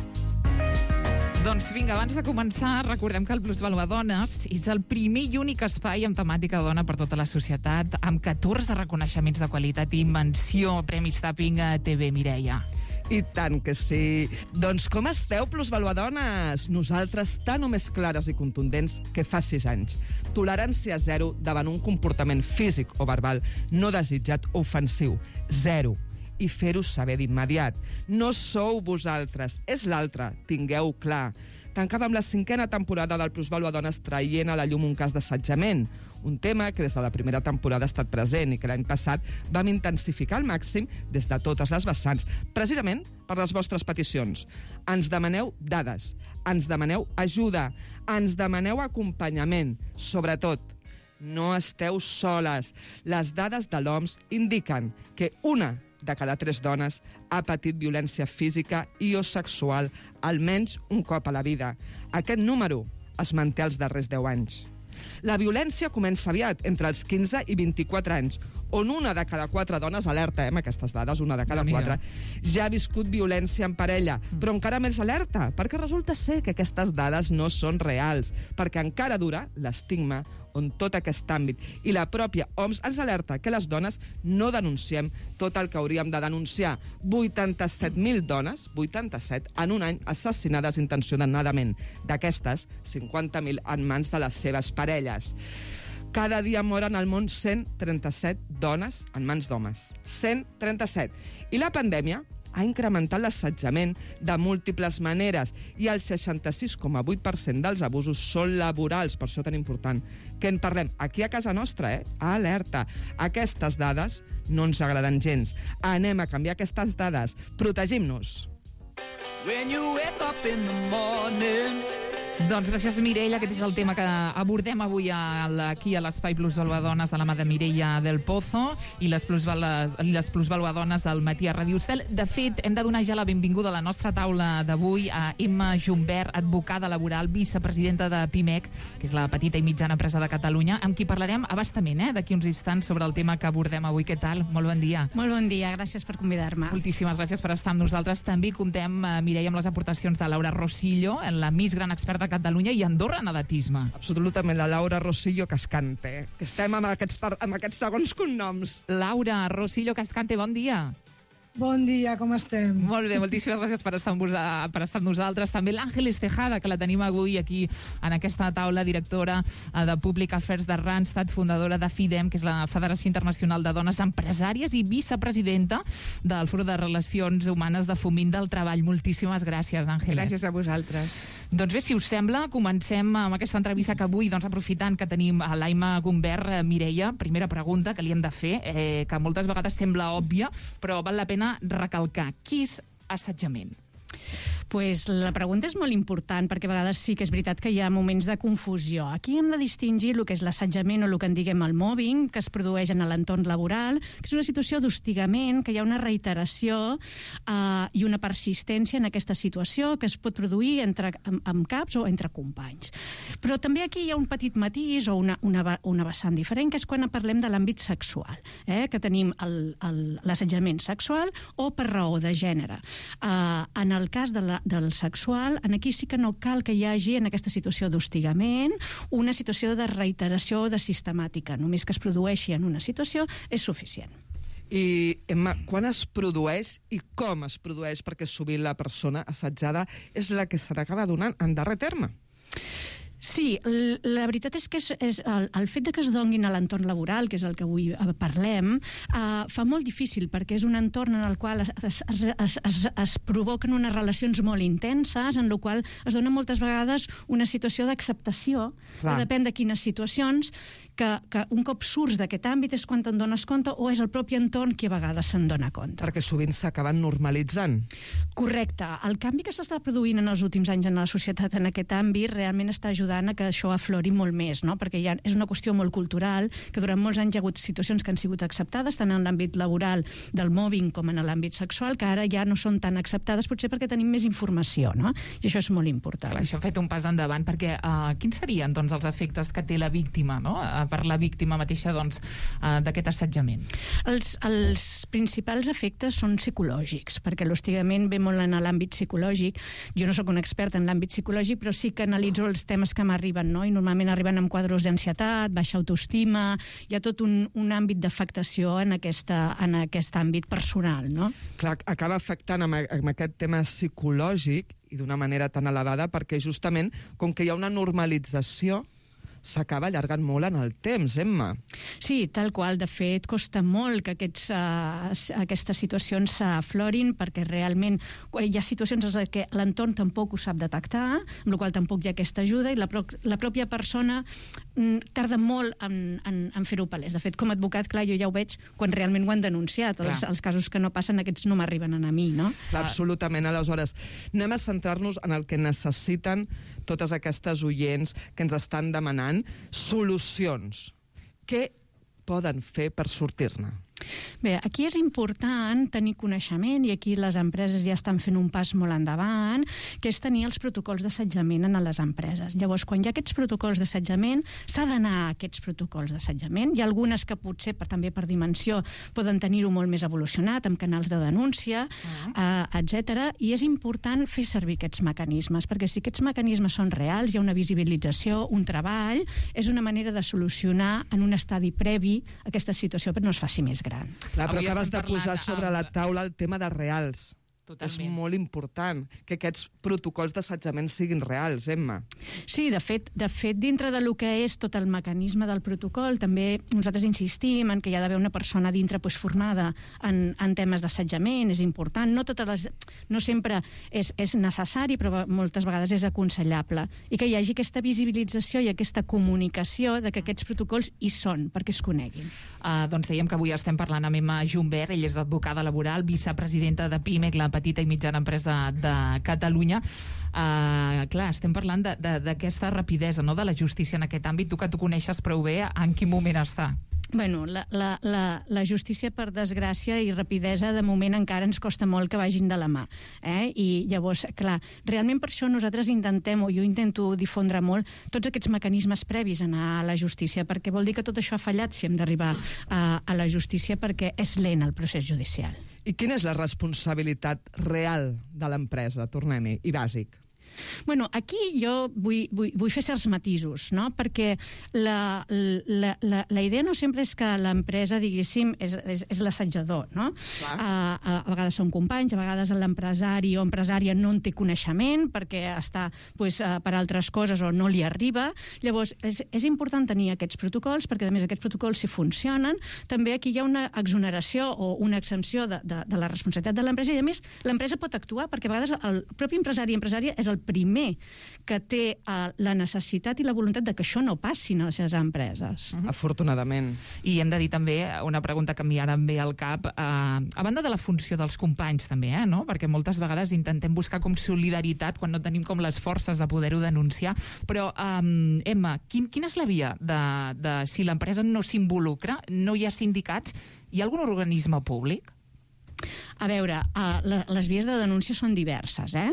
Doncs vinga, abans de començar, recordem que el Plusvàlua Dones és el primer i únic espai amb temàtica dona per tota la societat, amb catorze reconeixements de qualitat i menció Premis Tapping a T V, Mireia. I tant que sí. Doncs com esteu, plusvaluadones? Nosaltres tan o més clares i contundents que fa sis anys. Tolerància zero davant un comportament físic o verbal no desitjat o ofensiu. Zero. I fer-ho saber d'immediat. No sou vosaltres, és l'altre. Tingueu clar. Tancàvem la cinquena temporada del Plusvàlua Dones traient a la llum un cas d'assetjament, un tema que des de la primera temporada ha estat present i que l'any passat vam intensificar al màxim des de totes les vessants, precisament per les vostres peticions. Ens demaneu dades, ens demaneu ajuda, ens demaneu acompanyament, sobretot. No esteu soles. Les dades de l'O M S indiquen que una de cada tres dones ha patit violència física i o sexual almenys un cop a la vida. Aquest número es manté els darrers deu anys. La violència comença aviat, entre els quinze i vint-i-quatre anys, on una de cada quatre dones, alerta, eh, amb aquestes dades, una de cada quatre, ja ha viscut violència en parella, però encara més alerta, perquè resulta ser que aquestes dades no són reals, perquè encara dura l'estigma on tot aquest àmbit i la pròpia O M S ens alerta que les dones no denunciem tot el que hauríem de denunciar. vuitanta-set mil dones, vuitanta-set, en un any assassinades intencionadament. D'aquestes, cinquanta mil en mans de les seves parelles. Cada dia moren al món cent trenta-set dones en mans d'homes. cent trenta-set. I la pandèmia ha incrementat l'assetjament de múltiples maneres i el seixanta-sis coma vuit per cent dels abusos són laborals, per això tan important. Que en parlem aquí a casa nostra, eh? Alerta! Aquestes dades no ens agraden gens. Anem a canviar aquestes dades. Protegim-nos. When you wake up in the morning... Doncs gràcies, Mireia. Aquest és el tema que abordem avui a la, aquí a l'Espai Plusvàlua Dones de la mà de Mireia del Pozo i les Plusvàlua Dones del matí a Ràdio Estel. De fet, hem de donar ja la benvinguda a la nostra taula d'avui a Emma Jumbert, advocada laboral, vicepresidenta de Pimec, que és la petita i mitjana empresa de Catalunya, amb qui parlarem abastament, eh, d'aquí uns instants sobre el tema que abordem avui. Què tal? Molt bon dia. Molt bon dia, gràcies per convidar-me. Moltíssimes gràcies per estar amb nosaltres. També comptem, Mireia, amb les aportacions de Laura Rosillo, la més gran experta de Catalunya i Andorra en atletisme. Absolutament, la Laura Rosillo Cascante, que estem amb aquests, amb aquests segons cognoms. Laura Rosillo Cascante, bon dia. Bon dia, com estem? Molt bé, moltíssimes gràcies per estar amb, vos, per estar amb nosaltres. També l'Àngeles Tejada, que la tenim avui aquí en aquesta taula, directora de Public Affairs de Randstad, fundadora de FIDEM, que és la Federació Internacional de Dones Empresàries, i vicepresidenta del Fòrum de Relacions Humanes de Foment del Treball. Moltíssimes gràcies, Àngeles. Gràcies a vosaltres. Doncs bé, si us sembla, comencem amb aquesta entrevista que avui, doncs, aprofitant que tenim a l'Aima Gumbert, Mireia, primera pregunta que li hem de fer, eh, que moltes vegades sembla òbvia, però val la pena recalcar. Què és assetjament? Pues la pregunta és molt important, perquè a vegades sí que és veritat que hi ha moments de confusió. Aquí hem de distingir el que és l'assetjament o el que en diguem el mobbing, que es produeix en l'entorn laboral, que és una situació d'hostigament, que hi ha una reiteració eh, i una persistència en aquesta situació que es pot produir entre, amb, amb caps o entre companys. Però també aquí hi ha un petit matís o una, una, una vessant diferent, que és quan parlem de l'àmbit sexual, eh, que tenim l'assetjament sexual o per raó de gènere. Eh, en el cas de la del sexual, en aquí sí que no cal que hi hagi en aquesta situació d'hostigament una situació de reiteració o de sistemàtica. Només que es produeixi en una situació és suficient. I, Emma, quan es produeix i com es produeix? Perquè sovint la persona assetjada és la que se n'acaba donant en darrer terme. Sí, la veritat és que és, és el, el fet de que es donguin a l'entorn laboral, que és el que avui parlem, eh, fa molt difícil, perquè és un entorn en el qual es, es, es, es, es provoquen unes relacions molt intenses, en el qual es dona moltes vegades una situació d'acceptació, que depèn de quines situacions, que, que un cop surts d'aquest àmbit és quan te'n dones compte o és el propi entorn qui a vegades se'n dona compte. Perquè sovint s'acaben normalitzant. Correcte. El canvi que s'està produint en els últims anys en la societat en aquest àmbit realment està ajudant ajudant a que això aflori molt més, no? Perquè ja és una qüestió molt cultural, que durant molts anys hi ha hagut situacions que han sigut acceptades, tant en l'àmbit laboral del mobbing com en l'àmbit sexual, que ara ja no són tan acceptades, potser perquè tenim més informació, no? I això és molt important. Clar, això ha fet un pas endavant, perquè uh, quins serien doncs, els efectes que té la víctima, no? Uh, per la víctima mateixa doncs, uh, d'aquest assetjament? Els, els principals efectes són psicològics, perquè l'hostigament ve molt en l'àmbit psicològic. Jo no sóc un expert en l'àmbit psicològic, però sí que analitzo els temes que m'arriben, no? I normalment arriben amb quadros d'ansietat, baixa autoestima, hi ha tot un, un àmbit d'afectació en, aquesta, en aquest àmbit personal, no? Clar, acaba afectant amb, amb aquest tema psicològic i d'una manera tan elevada perquè justament, com que hi ha una normalització, s'acaba allargant molt en el temps, Emma. Sí, tal qual. De fet, costa molt que aquests, uh, aquestes situacions s'aflorin perquè realment hi ha situacions en què l'entorn tampoc ho sap detectar, amb la qual tampoc hi ha aquesta ajuda i la, pro la pròpia persona mm, tarda molt en, en, en fer-ho palès. De fet, com a advocat, clar, jo ja ho veig quan realment ho han denunciat. Els, els casos que no passen, aquests no m'arriben a mi, no? Clar, absolutament. Aleshores, anem a centrar-nos en el que necessiten totes aquestes oients que ens estan demanant solucions. Què poden fer per sortir-ne? Bé, aquí és important tenir coneixement, i aquí les empreses ja estan fent un pas molt endavant, que és tenir els protocols d'assetjament en les empreses. Llavors, quan hi ha aquests protocols d'assetjament, s'ha d'anar a aquests protocols d'assetjament. Hi ha algunes que potser, per, també per dimensió, poden tenir-ho molt més evolucionat, amb canals de denúncia, uh-huh. eh, etcètera. I és important fer servir aquests mecanismes, perquè si aquests mecanismes són reals, hi ha una visibilització, un treball, és una manera de solucionar en un estadi previ aquesta situació, però no es faci més gran. Clar, però acabes de posar sobre la taula el tema de reals. Totalment. És molt important que aquests protocols d'assetjament siguin reals, Emma. Sí, de fet, de fet, dintre de lo que és tot el mecanisme del protocol, també nosaltres insistim en que hi ha d'haver una persona dintre pues, formada en, en temes d'assetjament, és important. No, totes les, no sempre és, és necessari, però moltes vegades és aconsellable. I que hi hagi aquesta visibilització i aquesta comunicació de que aquests protocols hi són, perquè es coneguin. Uh, doncs dèiem que avui estem parlant amb Emma Jumbert, ella és advocada laboral, vicepresidenta de PIMEC, la petita i mitjana empresa de, de Catalunya. Uh, clar, estem parlant d'aquesta rapidesa, no?, de la justícia en aquest àmbit. Tu que tu coneixes prou bé, en quin moment està? Bueno, la, la, la, la justícia, per desgràcia i rapidesa, de moment encara ens costa molt que vagin de la mà. Eh? I llavors, clar, realment per això nosaltres intentem, o jo intento difondre molt, tots aquests mecanismes previs a anar a la justícia, perquè vol dir que tot això ha fallat si hem d'arribar a, a la justícia, perquè és lent el procés judicial. I quina és la responsabilitat real de l'empresa? Tornem-hi, i bàsic. Bueno, aquí jo vull, vull, vull fer certs matisos, no? Perquè la, la, la, la idea no sempre és que l'empresa, diguéssim, és, és, és l'assetjador, no? A, a, a vegades són companys, a vegades l'empresari o empresària no en té coneixement perquè està pues, per altres coses o no li arriba. Llavors, és, és important tenir aquests protocols perquè, a més, aquests protocols, si funcionen, també aquí hi ha una exoneració o una exempció de, de, de la responsabilitat de l'empresa i, a més, l'empresa pot actuar perquè a vegades el propi empresari i empresària és el primer que té uh, la necessitat i la voluntat de que això no passi a les seves empreses. Uh-huh. Afortunadament. I hem de dir també una pregunta que a mi ara em ve al cap, uh, a banda de la funció dels companys també, eh, no? Perquè moltes vegades intentem buscar com solidaritat quan no tenim com les forces de poder-ho denunciar, però um, Emma, quin, quina és la via de, de si l'empresa no s'involucra, no hi ha sindicats, hi ha algun organisme públic? A veure, uh, les vies de denúncia són diverses, eh?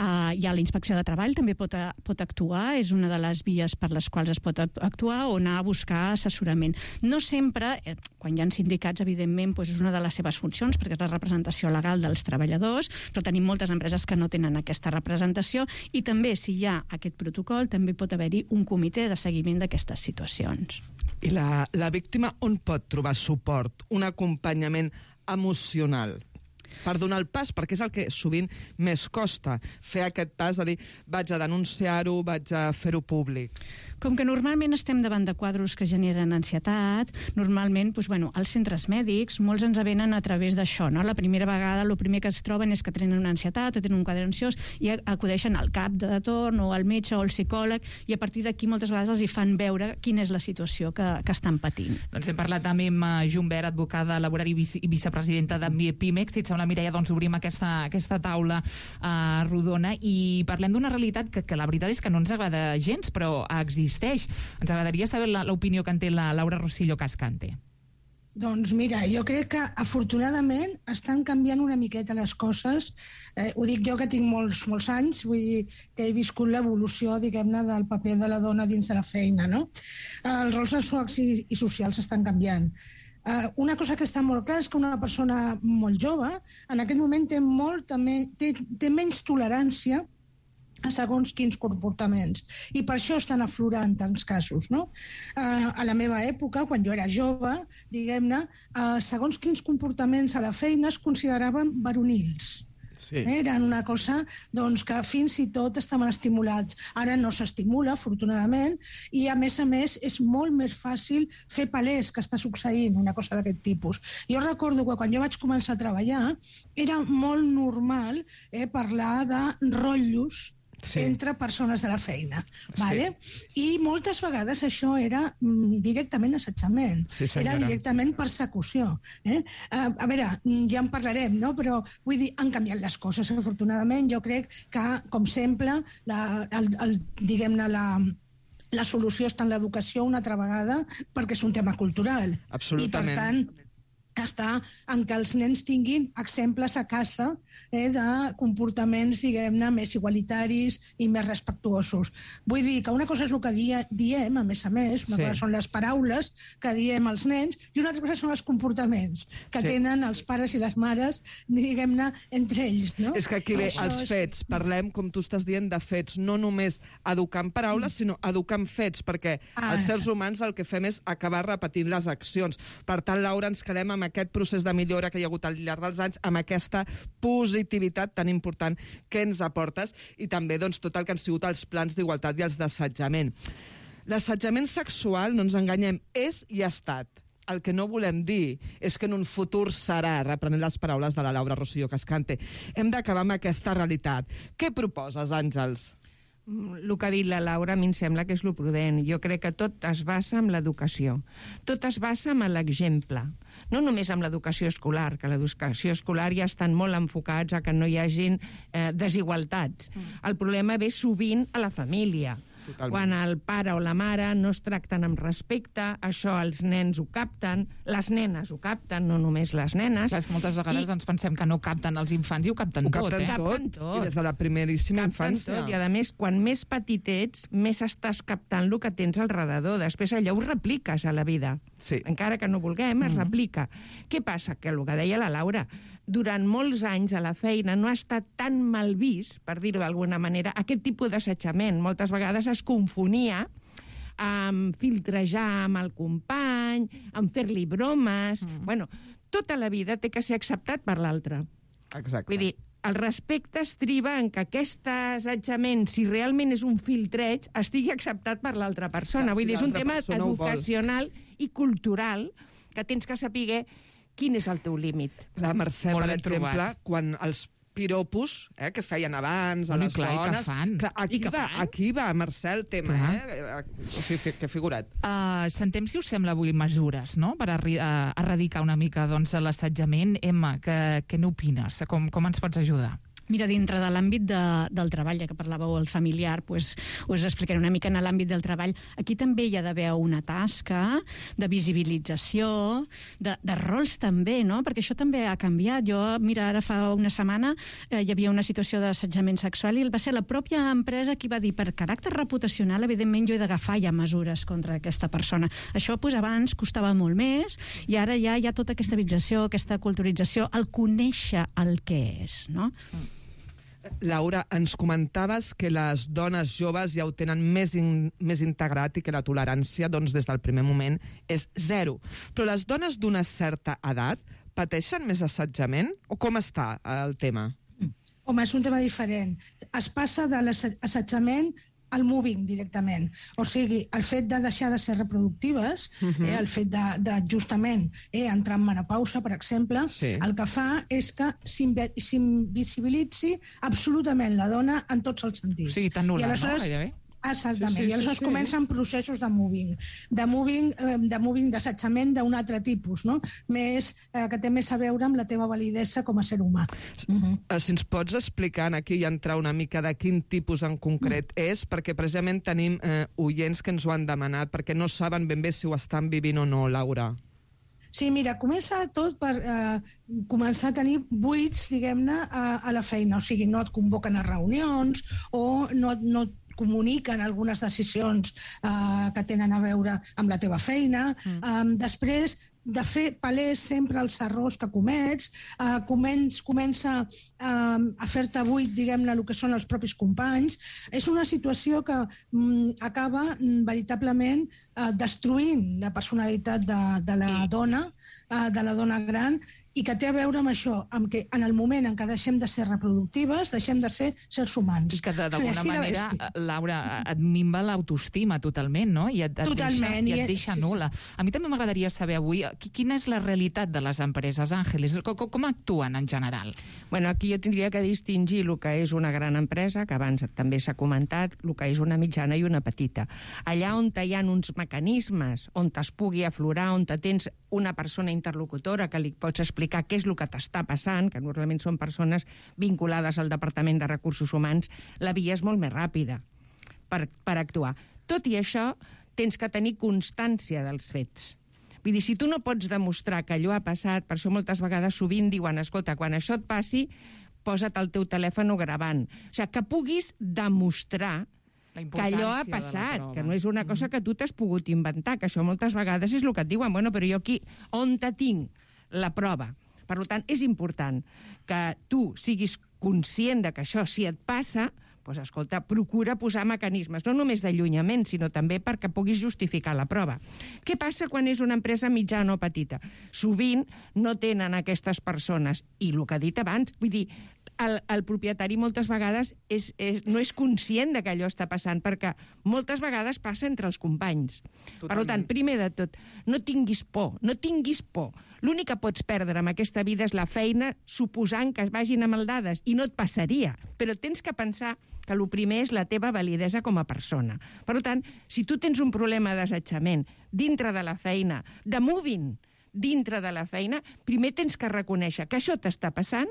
Uh, hi ha la inspecció de treball, també pot, a, pot actuar, és una de les vies per les quals es pot actuar, o anar a buscar assessorament. No sempre, eh, quan hi ha sindicats, evidentment, doncs és una de les seves funcions, perquè és la representació legal dels treballadors, però tenim moltes empreses que no tenen aquesta representació, i també, si hi ha aquest protocol, també pot haver-hi un comitè de seguiment d'aquestes situacions. I la, la víctima on pot trobar suport, un acompanyament emocional per donar el pas, perquè és el que sovint més costa, fer aquest pas de dir vaig a denunciar-ho, vaig a fer-ho públic. Com que normalment estem davant de quadros que generen ansietat, normalment, doncs, bueno, els centres mèdics, molts ens venen a través d'això, no? La primera vegada, el primer que es troben és que tenen una ansietat o tenen un quadre ansiós i acudeixen al cap de torn o al metge o al psicòleg, i a partir d'aquí moltes vegades els hi fan veure quina és la situació que, que estan patint. Doncs hem parlat amb Emma Jumbert, advocada laboral i vice, vicepresidenta de PIMEC. Si et amb la Mireia doncs, obrim aquesta, aquesta taula uh, rodona i parlem d'una realitat que, que la veritat és que no ens agrada gens, però existeix. Ens agradaria saber l'opinió que en té la Laura Rosillo Cascante. Doncs mira, jo crec que afortunadament estan canviant una miqueta les coses. Eh, ho dic jo que tinc molts, molts anys, vull dir que he viscut l'evolució, diguem-ne, del paper de la dona dins de la feina, no? Els rols sexuals i, i socials estan canviant. Uh, una cosa que està molt clara és que una persona molt jove en aquest moment té, molt, també, té, té menys tolerància a segons quins comportaments. I per això estan aflorant tants casos, no? Uh, a la meva època, quan jo era jove, diguem-ne, uh, segons quins comportaments a la feina es consideraven varonils. Sí. Eren una cosa doncs, que fins i tot estaven estimulats. Ara no s'estimula, afortunadament, i a més a més és molt més fàcil fer palès que està succeint una cosa d'aquest tipus. Jo recordo que quan jo vaig començar a treballar era molt normal eh, parlar de rotllos sí. entre persones de la feina. Vale? Sí. I moltes vegades això era mm, directament assetjament. Sí, era directament persecució. Eh? A, a veure, ja en parlarem, no? Però vull dir, han canviat les coses, afortunadament. Jo crec que, com sempre, la, el, el, diguem-ne, la... la solució està en l'educació una altra vegada perquè és un tema cultural. Absolutament. I, per tant, està en que els nens tinguin exemples a casa eh, de comportaments, diguem-ne, més igualitaris i més respectuosos. Vull dir que una cosa és el que dia, diem, a més a més, una sí. cosa són les paraules que diem als nens i una altra cosa són els comportaments que sí. tenen els pares i les mares, diguem-ne, entre ells. No? És que aquí ve els fets. És... Parlem, com tu estàs dient, de fets. No només educar en paraules, mm. sinó educar en fets, perquè ah, els éssers humans el que fem és acabar repetint les accions. Per tant, Laura, ens quedem amb aquest procés de millora que hi ha hagut al llarg dels anys, amb aquesta positivitat tan important que ens aportes i també doncs, tot el que han sigut els plans d'igualtat i els d'assetjament. L'assetjament sexual, no ens enganyem, és i ha estat. El que no volem dir és que en un futur serà, reprenent les paraules de la Laura Rosillo Cascante. Hem d'acabar amb aquesta realitat. Què proposes, Àngels? El que ha dit la Laura a mi em sembla que és lo prudent. Jo crec que tot es basa en l'educació. Tot es basa en l'exemple. No només amb l'educació escolar, que l'educació escolar ja estan molt enfocats a que no hi hagin eh, desigualtats. Mm. El problema ve sovint a la família. Totalment. Quan el pare o la mare no es tracten amb respecte, això els nens ho capten, les nenes ho capten, no només les nenes. Clar, moltes vegades I... doncs, pensem que no capten els infants i ho capten ho tot. Capten eh? tot. Capten tot. I des de la primeríssima capten infància. Tot. I a més, quan més petit ets, més estàs captant el que tens al redador. Després allò ho repliques a la vida. Sí. Encara que no vulguem, es mm. replica. Què passa? Que el que deia la Laura, durant molts anys a la feina no ha estat tan mal vist, per dir-ho d'alguna manera, aquest tipus d'assetjament. Moltes vegades es confonia amb filtrejar amb el company, amb fer-li bromes... Mm. Bueno, tota la vida té que ser acceptat per l'altre. Exacte. Vull dir, el respecte estriba en que aquest assetjament, si realment és un filtreig, estigui acceptat per l'altra persona. Vull dir, és un tema educacional i cultural que tens que saber quin és el teu límit. Clar, Mercè, per exemple, quan els piropos eh, que feien abans a les clar, dones... Clar, aquí, va, aquí va, Mercè, el tema, clar. eh? O sigui, que figurat. Uh, sentem, si us sembla, avui mesures, no?, per arri uh, erradicar una mica doncs, l'assetjament. Emma, què, què n'opines? Com, com ens pots ajudar? Mira, dintre de l'àmbit de, del treball, ja que parlàveu el familiar, pues, us explicaré una mica en l'àmbit del treball. Aquí també hi ha d'haver una tasca de visibilització, de, de rols també, no? Perquè això també ha canviat. Jo, mira, ara fa una setmana eh, hi havia una situació d'assetjament sexual i va ser la pròpia empresa qui va dir per caràcter reputacional, evidentment, jo he d'agafar ja mesures contra aquesta persona. Això pues, abans costava molt més i ara ja hi ha tota aquesta vitalització, aquesta culturització, el conèixer el que és, no? Mm. Laura, ens comentaves que les dones joves ja ho tenen més, in, més integrat i que la tolerància doncs, des del primer moment és zero. Però les dones d'una certa edat pateixen més assetjament? O com està el tema? Home, és un tema diferent. Es passa de l'assetjament al moving directament. O sigui, el fet de deixar de ser reproductives, uh-huh. eh, el fet de, de justament eh, entrar en menopausa, per exemple, sí. el que fa és que s'invisibilitzi absolutament la dona en tots els sentits. Sí, t'anul·la, no? Gairebé. Exactament, Sí, sí, i aleshores sí, sí. comencen processos de moving, de moving, eh, de moving d'assetjament d'un altre tipus, no? Més, eh, que té més a veure amb la teva validesa com a ser humà. Uh-huh. Eh, Si ens pots explicar aquí i entrar una mica de quin tipus en concret és, perquè precisament tenim eh, oients que ens ho han demanat, perquè no saben ben bé si ho estan vivint o no, Laura. Sí, mira, comença tot per eh, començar a tenir buits, diguem-ne, a, a la feina. O sigui, no et convoquen a reunions o no, no et comuniquen algunes decisions eh, que tenen a veure amb la teva feina. Mm. Eh, després, de fer palès sempre els errors que comets, eh, començ, comença eh, a fer-te buit, diguem-ne, el que són els propis companys. És una situació que mm, acaba mm, veritablement eh, destruint la personalitat de, de la dona, eh, de la dona gran, i que té a veure amb això, amb que en el moment en què deixem de ser reproductives, deixem de ser sers humans. I que d'alguna manera, Laura, et minva l'autoestima totalment, no? I et, et Totalment. deixa, i et deixa sí, nul·la. A mi també m'agradaria saber avui quina és la realitat de les empreses, Àngeles, com, com actuen en general? Bueno, aquí jo tindria que distingir el que és una gran empresa, que abans també s'ha comentat, el que és una mitjana i una petita. Allà on hi ha uns mecanismes, on es pugui aflorar, on tens una persona interlocutora que li pots explicar què és el que t'està passant, que normalment són persones vinculades al Departament de Recursos Humans, la via és molt més ràpida per, per actuar. Tot i això, tens que tenir constància dels fets. Vull dir, si tu no pots demostrar que allò ha passat, per això moltes vegades sovint diuen, escolta, quan això et passi, posa't el teu telèfon gravant. O sigui, que puguis demostrar que allò ha passat, que no és una cosa que tu t'has pogut inventar, que això moltes vegades és el que et diuen, bueno, però jo aquí, on te tinc la prova? Per tant, és important que tu siguis conscient de que això, si et passa, doncs, escolta, procura posar mecanismes, no només d'allunyament, sinó també perquè puguis justificar la prova. Què passa quan és una empresa mitjana o petita? Sovint no tenen aquestes persones, i el que he dit abans, vull dir, el, el propietari moltes vegades és, és, no és conscient de que allò està passant, perquè moltes vegades passa entre els companys. Totalment. Per tant, primer de tot, no tinguis por, no tinguis por. L'únic que pots perdre en aquesta vida és la feina, suposant que es vagin a maldades, i no et passaria. Però tens que pensar que el primer és la teva validesa com a persona. Per tant, si tu tens un problema d'assetjament dintre de la feina, de moving dintre de la feina, primer tens que reconèixer que això t'està passant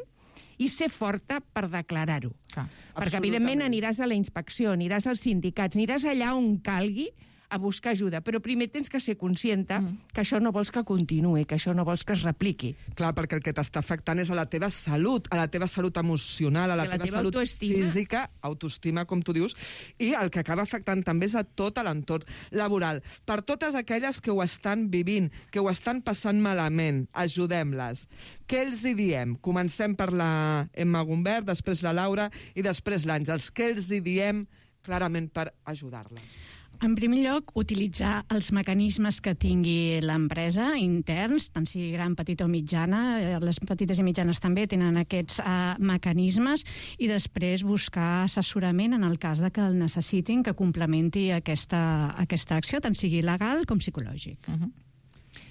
i ser forta per declarar-ho. Perquè, evidentment, aniràs a la inspecció, aniràs als sindicats, aniràs allà on calgui a buscar ajuda, però primer tens que ser conscienta mm. que això no vols que continuï, que això no vols que es repliqui. Clar, perquè el que t'està afectant és a la teva salut, a la teva salut emocional, a la, la teva, teva salut autoestima. Física, autoestima, com tu dius, i el que acaba afectant també és a tot l'entorn laboral. Per totes aquelles que ho estan vivint, que ho estan passant malament, ajudem-les. Què els hi diem? Comencem per la Emma Gumbert, després la Laura i després l'Àngels. Què els hi diem clarament per ajudar-les? En primer lloc, utilitzar els mecanismes que tingui l'empresa interns, tant sigui gran, petita o mitjana. Les petites i mitjanes també tenen aquests uh, mecanismes, i després buscar assessorament en el cas de que el necessitin, que complementi aquesta, aquesta acció, tant sigui legal com psicològic. Uh-huh.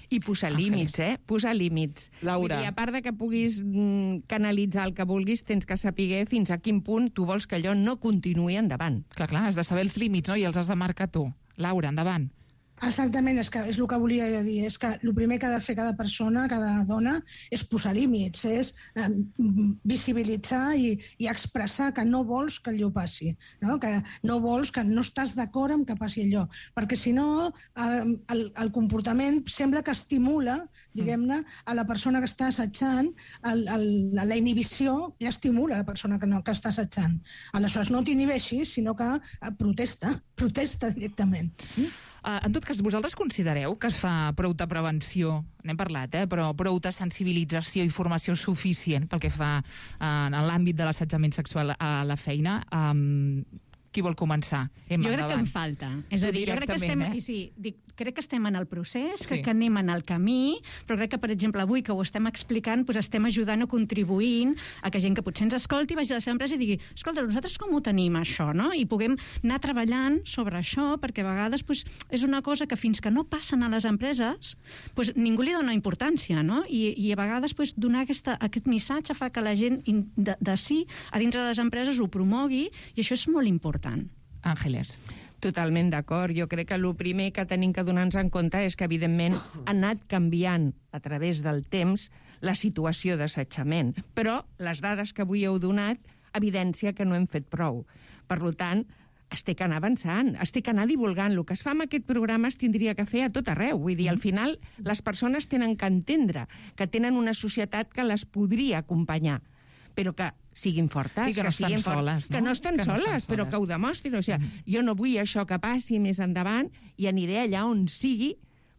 I posar límits, eh? Posar límits. Laura. I a part de que puguis mm, canalitzar el que vulguis, tens que saber fins a quin punt tu vols que allò no continuï endavant. Clar, clar, has de saber els límits, no? I els has de marcar tu. Laura, endavant. Exactament, és, que és el que volia dir. És que el primer que ha de fer cada persona, cada dona, és posar límits, és eh, visibilitzar i, i expressar que no vols que allò passi, no? Que no vols, que no estàs d'acord amb que passi allò. Perquè si no, eh, el, el comportament sembla que estimula, diguem-ne, a la persona que està assetjant, el, el, la inhibició ja estimula a la persona que, no, que està assetjant. Aleshores, no t'inhibeixis, sinó que protesta, protesta directament. Mm? Uh, en tot cas, vosaltres considereu que es fa prou de prevenció, n'hem parlat, eh, però prou de sensibilització i formació suficient pel que fa uh, en l'àmbit de l'assetjament sexual a la feina? Um, qui vol començar? Emma, jo crec endavant. que em falta. És a dir, jo crec que estem, eh? sí, dic, crec que estem en el procés, Sí. crec que anem en el camí, però crec que, per exemple, avui que ho estem explicant, doncs estem ajudant o contribuint a que gent que potser ens escolti vagi a la seva empresa i digui, escolta, nosaltres com ho tenim, això, no? I puguem anar treballant sobre això, perquè a vegades doncs, és una cosa que fins que no passen a les empreses, doncs ningú li dona importància, no? I, i a vegades doncs, donar aquesta, aquest missatge fa que la gent de, de si, a dintre de les empreses, ho promogui, i això és molt important. Àngeles. Totalment d'acord. Jo crec que el primer que tenim que donar-nos en compte és que, evidentment, ha anat canviant a través del temps la situació d'assetjament. Però les dades que avui heu donat evidència que no hem fet prou. Per tant, es té que anar avançant, es té que anar divulgant. El que es fa amb aquest programa es tindria que fer a tot arreu. Vull dir, al final, les persones tenen que entendre que tenen una societat que les podria acompanyar, però que siguin fortes, I que no que estan siguin fortes, soles, no? que no estan Que no soles, estan però soles. que ho demostrin. O sigui, mm. jo no vull això que passi més endavant i aniré allà on sigui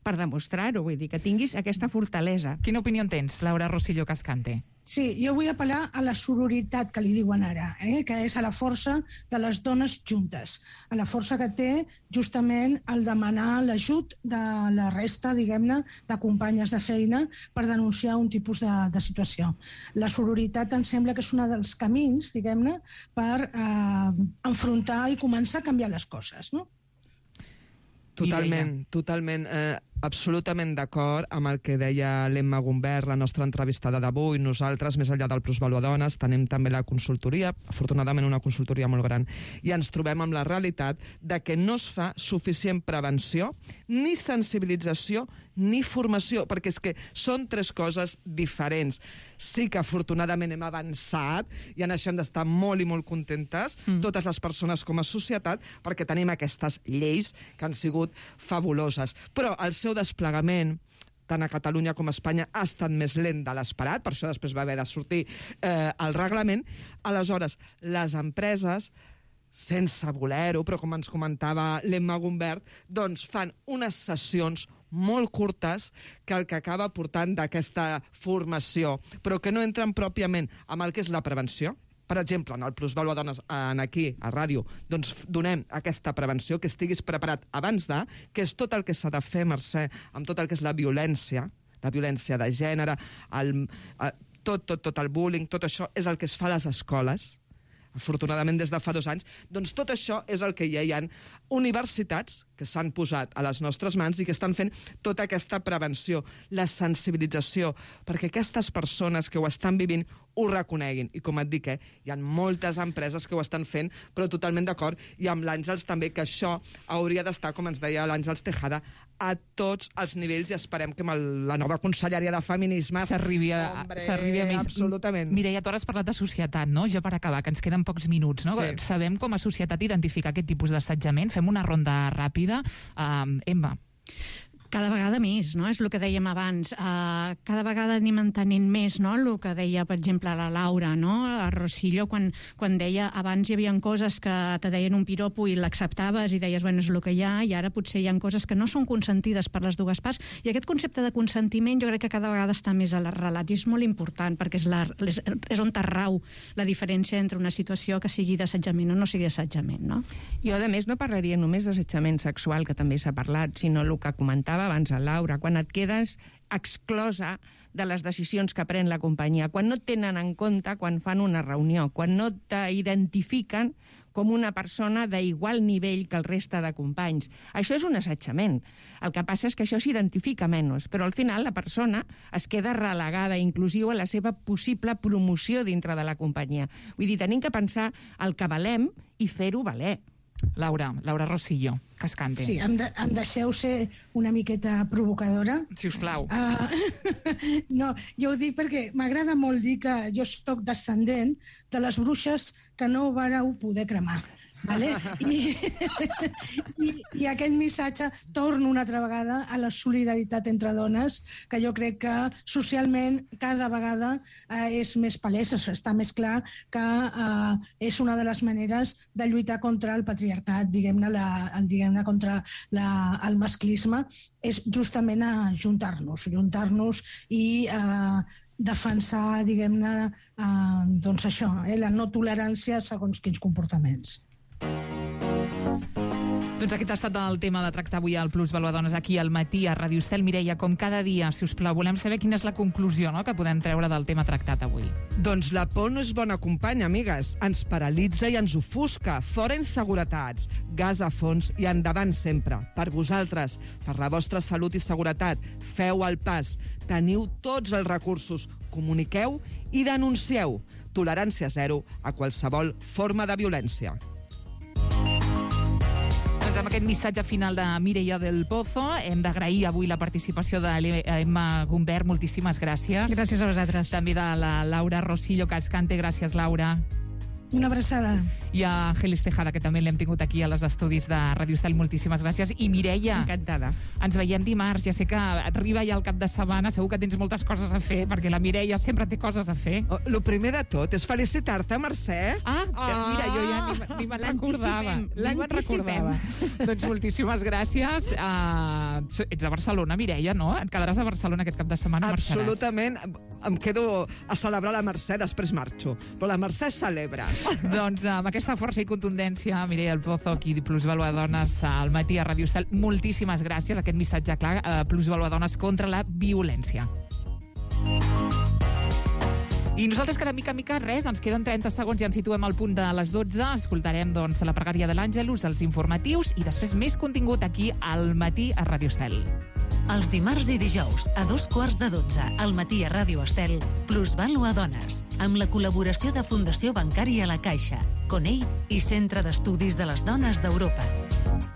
per demostrar-ho. Vull dir, que tinguis aquesta fortalesa. Quina opinió en tens, Laura Rosillo Cascante? Sí, jo vull apel·lar a la sororitat que li diuen ara, eh? que és a la força de les dones juntes, a la força que té justament el demanar l'ajut de la resta, diguem-ne, de companyes de feina per denunciar un tipus de, de situació. La sororitat em sembla que és un dels camins, diguem-ne, per eh, enfrontar i començar a canviar les coses, no? Totalment, totalment. Eh, absolutament d'acord amb el que deia l'Emma Gumbert, la nostra entrevistada d'avui. Nosaltres, més enllà del Plusvalua Dones, tenim també la consultoria, afortunadament una consultoria molt gran, i ens trobem amb la realitat de que no es fa suficient prevenció, ni sensibilització, ni formació, perquè és que són tres coses diferents. Sí que afortunadament hem avançat i en això hem d'estar molt i molt contentes, mm. totes les persones com a societat, perquè tenim aquestes lleis que han sigut fabuloses. Però el seu desplegament, tant a Catalunya com a Espanya, ha estat més lent de l'esperat, per això després va haver de sortir eh, el reglament. Aleshores, les empreses, sense voler-ho, però com ens comentava l'Emma Gumbert, doncs fan unes sessions molt curtes que el que acaba portant d'aquesta formació, però que no entren pròpiament amb el que és la prevenció. Per exemple, en el Plusvalua Dones, en aquí, a ràdio, doncs donem aquesta prevenció, que estiguis preparat abans de, que és tot el que s'ha de fer, Mercè, amb tot el que és la violència, la violència de gènere, el, tot, tot, tot el bullying, tot això és el que es fa a les escoles, afortunadament des de fa dos anys, doncs tot això és el que ja hi ha universitats que s'han posat a les nostres mans i que estan fent tota aquesta prevenció, la sensibilització, perquè aquestes persones que ho estan vivint ho reconeguin. I com et dic, eh, hi ha moltes empreses que ho estan fent, però totalment d'acord, i amb l'Àngels també, que això hauria d'estar, com ens deia l'Àngels Tejada, a tots els nivells, i esperem que amb el, la nova conselleria de feminisme s'arribi a, Hombre, s'arribi a més. Absolutament. Mireia, tu ara has parlat de societat, no? Ja per acabar, que ens queden pocs minuts, no? Sí. Sabem com a societat identificar aquest tipus d'assetjament? Fem una ronda ràpida. Uh, Emma. Cada vegada més, no? És el que dèiem abans. Uh, cada vegada anem entenent més, no? El que deia, per exemple, la Laura, no? A Rosillo, quan, quan deia abans hi havia coses que te deien un piropo i l'acceptaves i deies, bueno, és el que hi ha, i ara potser hi ha coses que no són consentides per les dues parts, i aquest concepte de consentiment jo crec que cada vegada està més arrelat, i és molt important, perquè és, la, és, és on rau la diferència entre una situació que sigui d'assetjament o no sigui d'assetjament, no? Jo, a més, no parlaria només d'assetjament sexual, que també s'ha parlat, sinó el que comentava abans a Laura, quan et quedes exclosa de les decisions que pren la companyia, quan no et tenen en compte quan fan una reunió, quan no t'identifiquen com una persona d'igual nivell que el reste de companys. Això és un assetjament. El que passa és que això s'identifica menys, però al final la persona es queda relegada, inclusiu a la seva possible promoció dintre de la companyia. Vull dir, tenim que pensar el que valem i fer-ho valer. Laura, Laura Rosillo, Cascante. Sí, em, de, em deixeu ser una miqueta provocadora. Si us plau. Uh, no, jo ho dic perquè m'agrada molt dir que jo sóc descendent de les bruixes que no vareu poder cremar. Vale? I, i, I aquest missatge torna una altra vegada a la solidaritat entre dones, que jo crec que socialment cada vegada eh, és més palès, està més clar que eh, és una de les maneres de lluitar contra el patriarcat, diguem-ne, diguem-ne contra la, el masclisme, és justament a juntar-nos, juntar-nos i eh, defensar, diguem-ne, eh, doncs això, eh, la no tolerància segons quins comportaments. Doncs aquest ha estat el tema de tractar avui al Plusvalua Dones aquí al matí a Ràdio Estel. Mireia, com cada dia, si us plau, volem saber quina és la conclusió, no?, que podem treure del tema tractat avui. Doncs la por no és bona companya, amigues. Ens paralitza i ens ofusca. Fora inseguretats, gas a fons i endavant sempre. Per vosaltres, per la vostra salut i seguretat, feu el pas. Teniu tots els recursos. Comuniqueu i denuncieu. Tolerància zero a qualsevol forma de violència. Doncs amb aquest missatge final de Mireia del Pozo hem d'agrair avui la participació de l'Emma Gumbert. Moltíssimes gràcies. Gràcies a vosaltres. També de la Laura Rosillo Cascante. Gràcies, Laura. Una abraçada. I a Gelis Tejada, que també l'hem tingut aquí a les estudis de Ràdio Estel. Moltíssimes gràcies. I Mireia, encantada. Ens veiem dimarts. Ja sé que arriba ja el cap de setmana, segur que tens moltes coses a fer, perquè la Mireia sempre té coses a fer. Oh, lo primer de tot és felicitar-te, Mercè. Ah, ah, mira, jo ja ni, ni me'n recordava. Ni me'n recordava. Doncs moltíssimes gràcies. Uh, ets a Barcelona, Mireia, no? Et quedaràs a Barcelona aquest cap de setmana? Absolutament. Em quedo a celebrar la Mercè, després marxo. Però la Mercè celebra. Doncs amb aquesta força i contundència, Mireia del Pozo, aquí Plusvalua Dones al matí a Ràdio Estel. Moltíssimes gràcies. Aquest missatge clar, a Plusvalua Dones contra la violència. I nosaltres, que de mica a mica, res, ens queden trenta segons i ens situem al punt de les dotze. Escoltarem, doncs, la pregària de l'Àngelus, els informatius i després més contingut aquí al matí a Ràdio Estel. Els dimarts i dijous, a dos quarts de dotze, al matí a Ràdio Estel, Plusvalua Dones, amb la col·laboració de Fundació Bancària La Caixa, Conell i Centre d'Estudis de les Dones d'Europa.